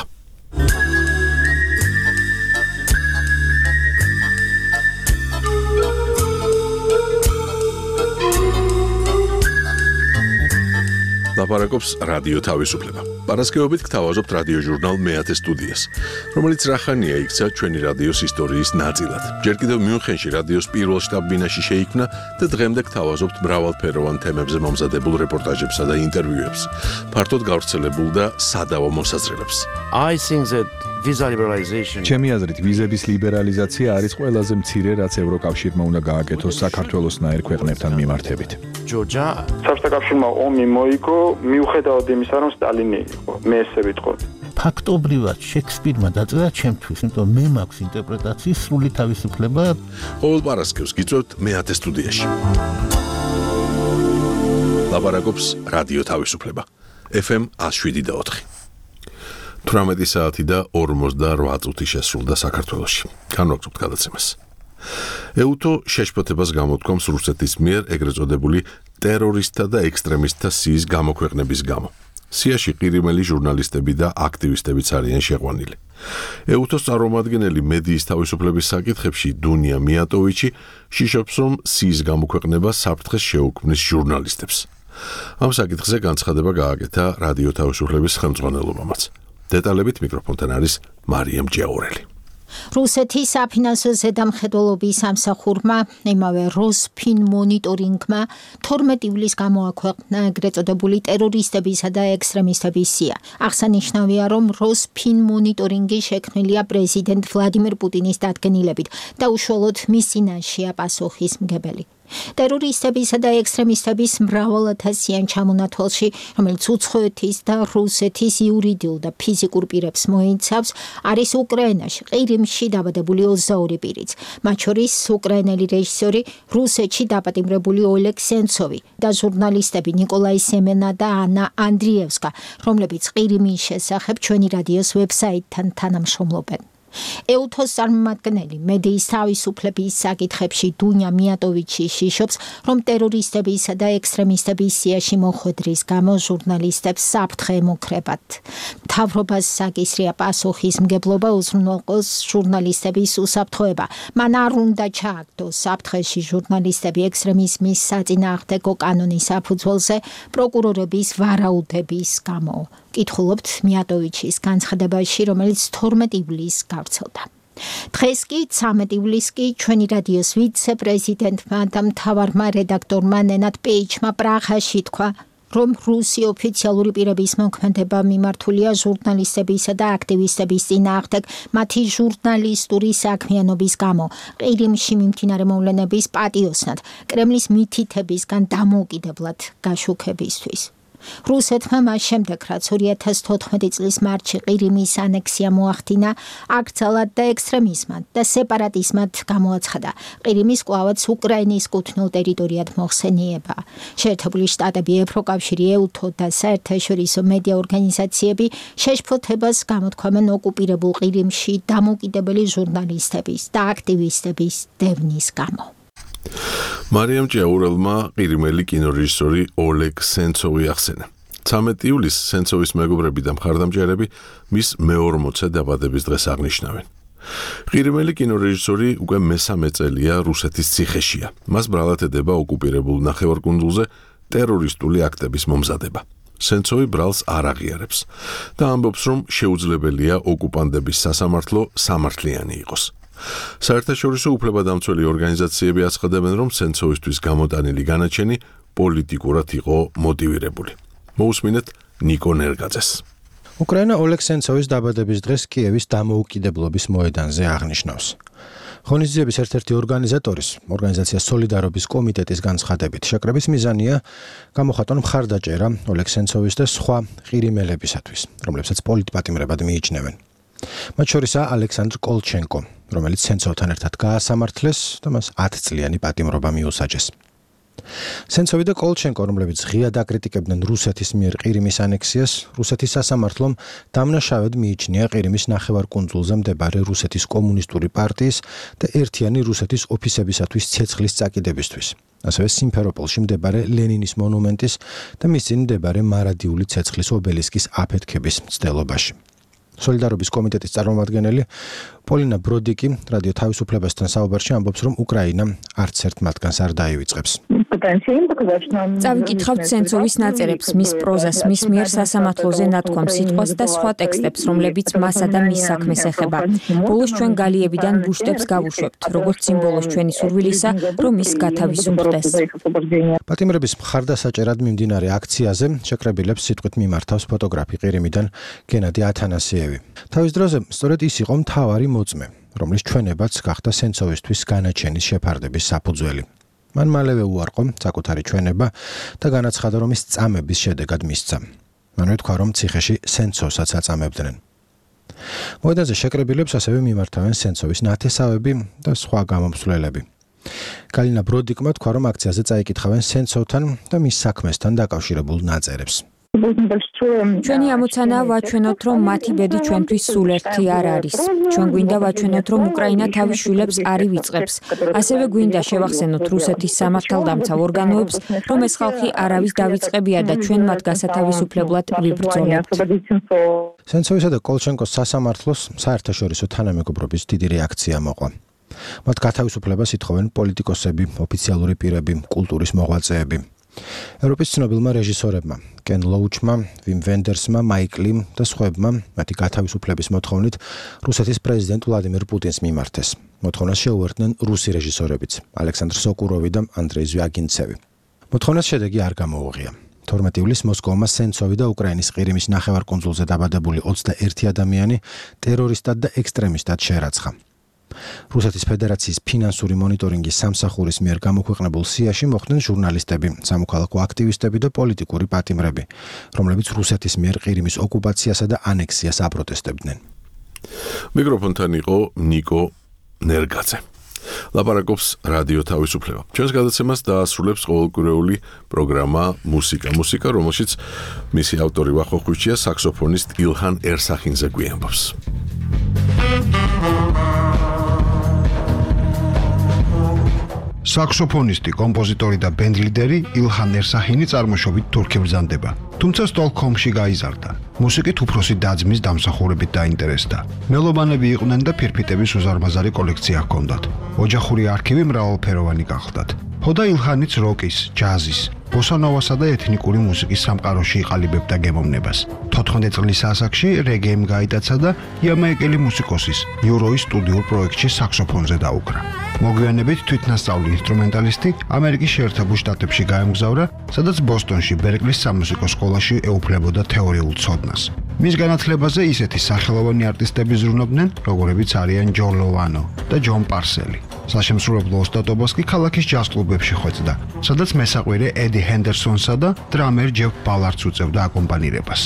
Speaker 1: ლაპარაკობს რადიო თავისუფლება. პარასკევობით გთავაზობთ რადიო ჟურნალ მეათე სტუდიას, რომელიც რახანია იქცა ჩვენი რადიოს ისტორიის ნაწილად. ჯერ კიდევ მიუნხენში რადიოს პირველ შტაბ-ბინაში შეიქმნა და დღემდე გთავაზობთ მრავალფეროვან თემებზე მომზადებულ რეპორტაჟებსა და ინტერვიუებს, ფართოდ გავრცელებულ და სადავო მოსაზრებებს.
Speaker 3: I think that visa liberalization
Speaker 22: ჩემი აზრით ვიზების ლიბერალიზაცია არის ყველაზე მცირე, რაც ევროკავშირმა უნდა გააკეთოს საქართველოსნაირ ქვეყნებთან მიმართებით.
Speaker 3: Georgia
Speaker 23: საბჭოთა კავშირმა ომი მოიგო მიუხედავად იმისა, რომ სტალინი იყო. მე ესე ვიტყოდი.
Speaker 24: ფაქტობრივად შექსპირმა დაწერა ჩემთვის, იმიტომ მე მაქვს ინტერპრეტაციის სრული თავისუფლება.
Speaker 1: ყოველ პარასკევს გიწევთ მეათე სტუდიაში. ლაპარაკობს რადიო თავისუფლება. ეფ ემ one oh seven და four. თვრამეტი საათი და ორმოცდაოთხ წუთი შესრულდა საქართველოში. განვაგრძობთ გადაცემას. ეუთო შეშფოთებას გამოთქვამს რუსეთის მიერ ეგრეთ წოდებული ტერორისტთა და ექსტრემისტთა სიის გამოქვეყნების გამო. სიაში ყირიმელი ჟურნალისტები და აქტივისტებიც არიან შეყვანილი. ეუთოს წარმომადგენელი მედიის თავისუფლების საკითხებში დუნია მიატოვიჩი შიშობს, რომ სიის გამოქვეყნება საფრთხეს შეუქმნის ჟურნალისტებს. ამ საკითხზე განცხადება გააკეთა რადიო თავისუფლების ხელმძღვანელობამაც. დეტალებით მიკროფონთან არის მარიამ ჯაურელი.
Speaker 2: რუსეთის საფინანსო ზედამხედველობის სამსახურმა იმავე როსფინ მონიტორინგმა თორმეტი ივლისს გამოაქვეყნა ეგრეთ წოდებული ტერორისტებისა და ექსტრემისტების სია. აღსანიშნავია, რომ როსფინ მონიტორინგი შექმნილია პრეზიდენტ ვლადიმერ პუტინის დადგენილებით და უშუალოდ მის წინაშეა პასუხისმგებელი. ტერორისტებისა და ექსტრემისტების მრავალათასიან ჩამონათვალში, რომელიც უცხოეთის და რუსეთის იურიდიულ და ფიზიკურ პირებს მოიცავს, არის უკრაინაში, ყირიმში დაბადებული ოცდაორი პირიც, მათ შორის უკრაინელი რეჟისორი, რუსეთში დაპატიმრებული ოლეგ სენცოვი და ჟურნალისტები ნიკოლაი სემენა და ანა ანდრიევსკა, რომლებიც ყირიმის შესახებ ჩვენი რადიოს ვებსაიტთან თანამშრომლობენ. ეუთოს წარმომადგენელი მედიის თავისუფლების საკითხებში დუნია მიატოვიჩი შიშობს, რომ ტერორისტებისა და ექსტრემისტების სიაში მოხვედრის გამო ჟურნალისტებს საფრთხე ემუქრებათ. მთავრობას საკისრია პასუხისმგებლობა უზრუნველყოს ჟურნალისტების უსაფრთხოება. მან არ უნდა ჩააგდოს საფრთხეში ჟურნალისტები ექსტრემიზმის საწინააღმდეგო კანონის საფუძველზე პროკურორების ვარაუდების გამო. კითხულობთ მიატოვიჩის განცხადებაში, რომელიც თორმეტი ივლისს გავრცელდა. დღეს კი ცამეტი ივლისს კი ჩვენი რადიოს ვიცე-პრეზიდენტმა და მთავარმა რედაქტორმა ნენად პეიჩმა პრაღაში თქვა, რომ რუსი ოფიციალური პირების მოქმედება მიმართულია ჟურნალისტებისა და აქტივისტების წინააღმდეგ მათი ჟურნალისტური საქმიანობის გამო, ყირიმში მიმდინარე მოვლენების პატიოსნად, კრემლის მითითებისგან დამოუკიდებლად გაშუქებისთვის. რუსეთმა მას შემდეგ, რაც ორი ათას თოთხმეტი წლის მარტში ყირიმის ანექსია მოახდინა, აკრძალად და ექსტრემიზმად და სეპარატიზმად გამოაცხადა. ყირიმის კვლავაც უკრაინის კუთვნილ ტერიტორიად მოხსენიება. შეერთებული შტატები, ევროკავშირი, ეუთო და საერთაშორისო მედია ორგანიზაციები შეშფოთებას გამოთქვამენ ოკუპირებულ ყირიმში დამოუკიდებელი ჟურნალისტების და აქტივისტების დევნის გამო.
Speaker 1: მარიამ ჭიაურელმა ყირიმელი კინორეჟისორი ოლეგ სენცოვი ახსენა. ცამეტი ივლისს სენცოვის მეგობრები და მხარდამჭერები მის მეორმოცე დაბადების დღეს აღნიშნავენ. ყირიმელი კინორეჟისორი უკვე მესამე წელია რუსეთის ციხეშია. მას ბრალად ედება ოკუპირებულ ნახევარკუნძულზე ტერორისტული აქტების მომზადება. სენცოვი ბრალს არ აღიარებს და ამბობს, რომ შეუძლებელია ოკუპანტების სასამართლო სამართლიანი იყოს. საერთაშორისო უფლებადამცველი ორგანიზაციები აცხადებენ, რომ სენცოვისთვის გამოტანილი განაჩენი პოლიტიკურად იყო მოტივირებული. მოусმინეთ ნიკო ნერგაძეს.
Speaker 5: უკრაინა ოლეგ სენცოვის დაბადების დღეს კიევის დამოუკიდებლობის მოედანზე აღნიშნავს. ღონისძიების ერთ-ერთი ორგანიზატორის, ორგანიზაცია სოლიდარობის კომიტეტის განცხადებით, შეკრების მიზანია გამოხატონ მხარდაჭერა ოლეგ სენცოვის და სხვა ყირიმელებისათვის, რომლებსაც პოლიტპატიმრებად მიიჩნევენ. მათ შორისაა ალექსანდრ კოლჩენკო, რომელიც სენცოვთან ერთად გაასამართლეს და მას ათი წლიანი პატიმრობა მიუსაჯეს. სენცოვი და კოლჩენკო, რომლებიც ღიად აკრიტიკებდნენ რუსეთის მიერ ყირიმის ანექსიას, რუსეთის სასამართლომ დამნაშავედ მიიჩნია ყირიმის ნახევარკუნძულზე მდებარე რუსეთის კომუნისტური პარტიის და ერთიანი რუსეთის ოფისებისათვის ცეცხლის წაკიდებისთვის. ასევე სიმფეროპოლში მდებარე ლენინის მონუმენტის და მის წინ მდებარე მარადიული ცეცხლის ობელისკის აფეთქების მცდელობაში. სოლიდარობის კომიტეტის წარმომადგენელი პოლინა ბროდიკი რადიო თავისუფლებასთან საუბარში ამბობს, რომ უკრაინა არც ერთ მათგანს არ დაივიწყებს.
Speaker 12: წავიკითხავთ სენცოვის ნაწერებს, მის პროზას, მის მიერ სასამართლოზე ნათქვამ სიტყვას და სხვა ტექსტებს, რომლებიც მასა და მის საქმეს ეხება. ბოლოს ჩვენ გალიებიდან ბუშტებს გავუშვებთ, როგორც სიმბოლოს ჩვენი სურვილისა, რომ ის გათავისუფლდეს.
Speaker 5: პატიმრების მხარდასაჭერად მიმდინარე აქციაზე შეკრებილებს სიტყვით მიმართავს ფოტოგრაფი ყირიმიდან გენადი ათანასიევი. თავის დროზე სწორედ ის იყო მთავარი მოწმე, რომლის ჩვენებაც გახდა სენცოვისთვის განაჩენის შეფარდების საფუძველი. მან მალევე უარყო საკუთარი ჩვენება და განაცხადა, რომ ის წამების შედეგად მისცა. მანვე თქვა, რომ ციხეში სენცოვსაც აწამებდნენ. მოედანზე შეკრებილებს ასევე მიმართავენ სენცოვის ნათესავები და სხვა გამომსვლელები. გალინა ბროდიკმა თქვა, რომ აქციაზე წაიკითხავენ სენცოვთან და მის საქმესთან დაკავშირებულ ნაწერებს.
Speaker 12: ჩვენი ამოცანაა ვაჩვენოთ, რომ მათი ბედი ჩვენთვის სულ ერთი არ არის. ჩვენ გვინდა ვაჩვენოთ, რომ უკრაინა თავის შვილებს არ ივიწყებს. ასევე გვინდა შევახსენოთ რუსეთის სამართალდამცავ ორგანოებს, რომ ეს ხალხი არავის დავიწყებია და ჩვენ მათ გასათავისუფლებლად ვიბრძოლებთ.
Speaker 5: სენცოვისა და კოლჩენკოს სასამართლოს საერთაშორისო თანამეგობრობის დიდი რეაქცია მოყვა. მათ გათავისუფლებას ითხოვენ პოლიტიკოსები, ოფიციალური პირები, კულტურის მოღვაწეები. ევროპის ცნობილმა რეჟისორებმა, კენ ლოუჩმა, ვიმ ვენდერსმა, მაიკ ლიმ და სხვებმა მათი გათავისუფლების მოთხოვნით რუსეთის პრეზიდენტ ვლადიმირ პუტინს მიმართეს. მოთხოვნას შეუერთდნენ რუსი რეჟისორებიც, ალექსანდრ სოკუროვი და ანდრეი ზვიაგინცევი. მოთხოვნას შედეგი არ გამოუღია. თორმეტი ივლისს მოსკოვმა სენცოვი და უკრაინის ყირიმის ნახევარკუნძულზე დაბადებული ოცდაერთი ადამიანი ტერორისტად და ექსტრემისტად შერაცხა. რუსეთის ფედერაციის ფინანსური მონიტორინგის სამსახურის მიერ გამოქვეყნებულ სიაში მოხვდნენ ჟურნალისტები, სამოქალაქო აქტივისტები და პოლიტიკური პატიმრები, რომლებიც რუსეთის მიერ ყირიმის ოკუპაციასა და ანექსიას აპროტესტებდნენ.
Speaker 1: მიკროფონთან იყო ნიკო ნერგაძე. ლაპარაკობს რადიო თავისუფლება. ჩვენს გადაცემას დაასრულებს ყოველკვირეული პროგრამა მუსიკა მუსიკა, რომელშიც მისი ავტორი ვახოხვიჩია საქსოფონისტ ილჰან ერსახინზე გვიამბობს.
Speaker 7: საქსოფონისტი, კომპოზიტორი და ბენდლიდერი ილჰან ერსახინი წარმოშობით თურქი ბრძანდება. თუმცა სტოკჰოლმში გაიზარდა. მუსიკით უფროსი და-ძმის დამსახურებით დაინტერესდა. მელობანები იყვნენ და ფირფიტების უზარმაზარი კოლექცია ჰქონდათ. ოჯახური არქივი მრავალფეროვანი გახლდათ. ჰოდა ილჰანიც როკის, ჯაზის, ბოსანოვასა და ეთნიკური მუსიკის სამყაროში იყალიბებდა გემოვნებას. თოთხმეტ წლის ასაკში რეგეიმ გაიტაცა და იამაიკელი მუსიკოსის იუროის სტუდიურ პროექტში საქსოფონზე დაუკრა. მოგვიანებით თვითნასწავლი ინსტრუმენტალისტი ამერიკის შეერთებულ შტატებში გაემგზავრა, სადაც ბოსტონში ბერკლის სამუსიკო სკოლაში ეუფლებოდა თეორიულ ცოდნას. მის განათლებაზე ისეთი სახელოვანი არტისტები ზრუნობდნენ, როგორებიც არიან ჯო ლოვანო და ჯონ პარსელი. საშემსრულებლო ოსტატობას კი ქალაქის ჯაზ კლუბებში ხვეწდა, სადაც მესაყვირე ედი ჰენდერსონსა და დრამერ ჯეფ ბალარდს უწევდა აკომპანირებას.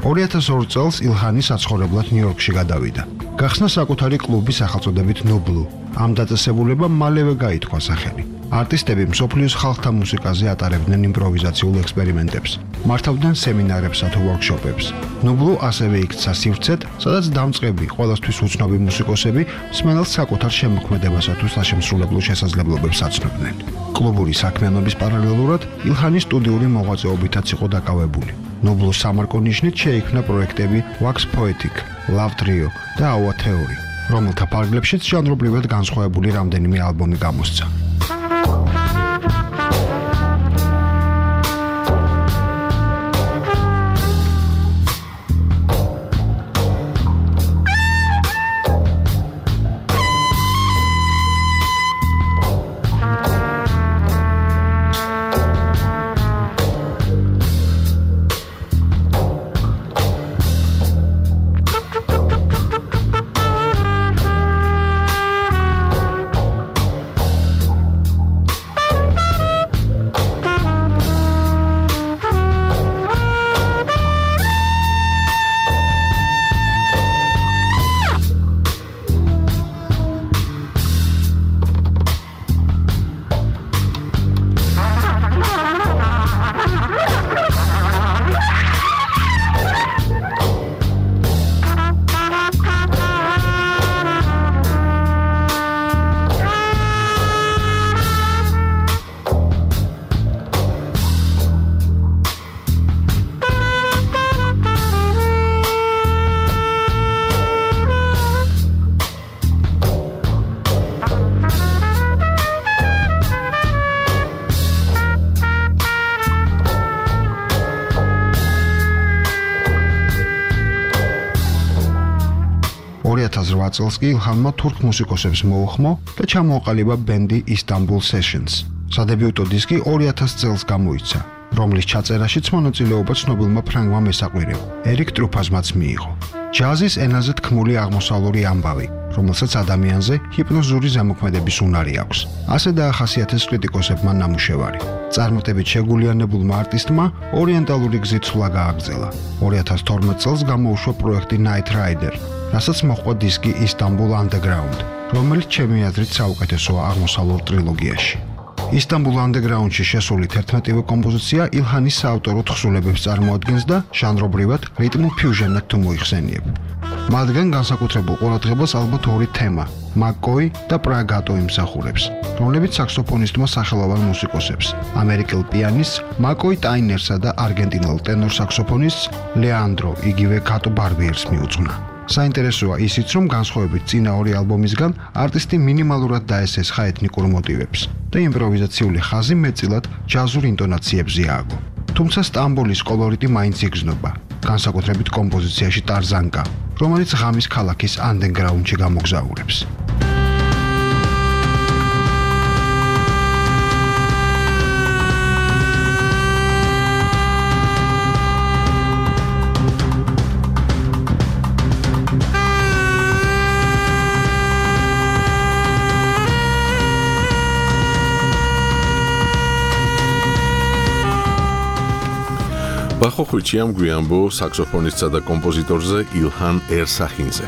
Speaker 7: ორი ათას ორი წელს ილჰანი საცხოვრებლად ნიუ-იორკში გადავიდა. გახსნა საკუთარი კლუბი სახელწოდებით ნუბლუ. ამ დაწესებულებამ მალევე გაითქვა სახელი. არტისტები მსოფლიოს ხალხთა მუსიკაზე ატარებდნენ იმპროვიზაციულ ექსპერიმენტებს, მართავდნენ სემინარებსა თუ ვორქშოპებს. ნუბლუ ასევე იქცა სივრცედ, სადაც დამწყები, ყველასთვის უცნობი მუსიკოსები მსმენელს საკუთარ შემოქმედებასა თუ საშემსრულებლო შესაძლებლობებს აცნობდნენ. კლუბური საქმიანობის პარალელურად ილჰანი სტუდიური მოღვაწეობითაც იყო დაკავებული. ნუბლუს სამარკო ნიშნით შეიქმნა პროექტები Wax Poetic, Love Trio და Awa Theory, რომელთა ფარგლებშიც ჟანრობრივად განსხვავებული რამდენიმე ალბომი გამოსცა. ორი ათას რვა წელს კი ილჰანმა თურქ მუსიკოსებს მოუხმო და ჩამოაყალიბა ბენდი Istanbul Sessions. სადებიუტო დისკი ორი ათას წელს გამოიცა, რომლის ჩაწერაშიც მონაწილეობა ცნობილმა ფრანგმა მესაყვირემ, ერიკ ტრუფაზმაც მიიღო. ჯაზის ენაზე თქმული აღმოსავლური ამბავი, რომელსაც ადამიანზე ჰიპნოზური ზემოქმედების უნარი აქვს. ასე დაახასიათეს კრიტიკოსებმა ნამუშევარი. წარმატებით შეგულიანებულმა არტისტმა ორიენტალური გზით სვლა გააგრძელა. ორი ათას თორმეტ წელს გამოუშვა პროექტი Night Rider, რასაც მოჰყვა დისკი Istanbul Underground, რომელიც ჩემი აზრით საუკეთესოა აღმოსავლურ ტრილოგიაში. ისტანბულ ანდეგრაუნდში შესული თერთმეტივე კომპოზიცია ილჰანის საავტორო თხზულებებს წარმოადგენს და ჟანრობრივად რიტმულ ფიუჟენად თუ მოიხსენიებ. მათგან განსაკუთრებულ ყურადღებას ალბათ ორი თემა, მაკკოი და პრაგატო იმსახურებს, რომლებიც საქსოფონისტმა სახელოვან მუსიკოსებს, ამერიკელ პიანისტს მაკკოი ტაინერსა და არგენტინელ ტენორ საქსოფონისტს ლეანდრო იგივე კატო ბარბიერს მიუძღვნა. საინტერესოა ისიც, რომ განსხვავებით წინა ორი ალბომისგან, არტისტი მინიმალურად დაესესხა ეთნიკურ მოტივებს და იმპროვიზაციული ხაზი მეტწილად ჯაზურ ინტონაციებზე ააგო. თუმცა სტამბოლის კოლორიტი მაინც იგრძნობა, განსაკუთრებით კომპოზიციაში ტარზანკა, რომელიც ღამის ქალაქის ანდერგრაუნდში გამოგზაურებს.
Speaker 1: ბახოხვიჩი ამ გვიანბო საქსოფონისტსა და კომპოზიტორზე ილჰან ერსახინზე.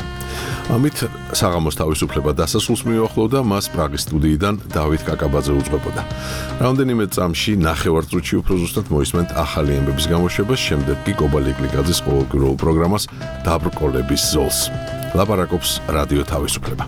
Speaker 1: ამით საღამოს თავისუფლება დასასრულს მიუახლოვდა, მას პრაღის სტუდიიდან დავით კაკაბაძე უძღვებოდა. რამდენიმე წამში ნახევარწუთში უფრო ზუსტად მოისმენთ ახალი ამბების გამოშვებას, შემდეგ კი კობალ ეკლიკაძის ყოველკვირეულ პროგრამას დაბრკოლების ზოლს. ლაპარაკობს რადიო თავისუფლება.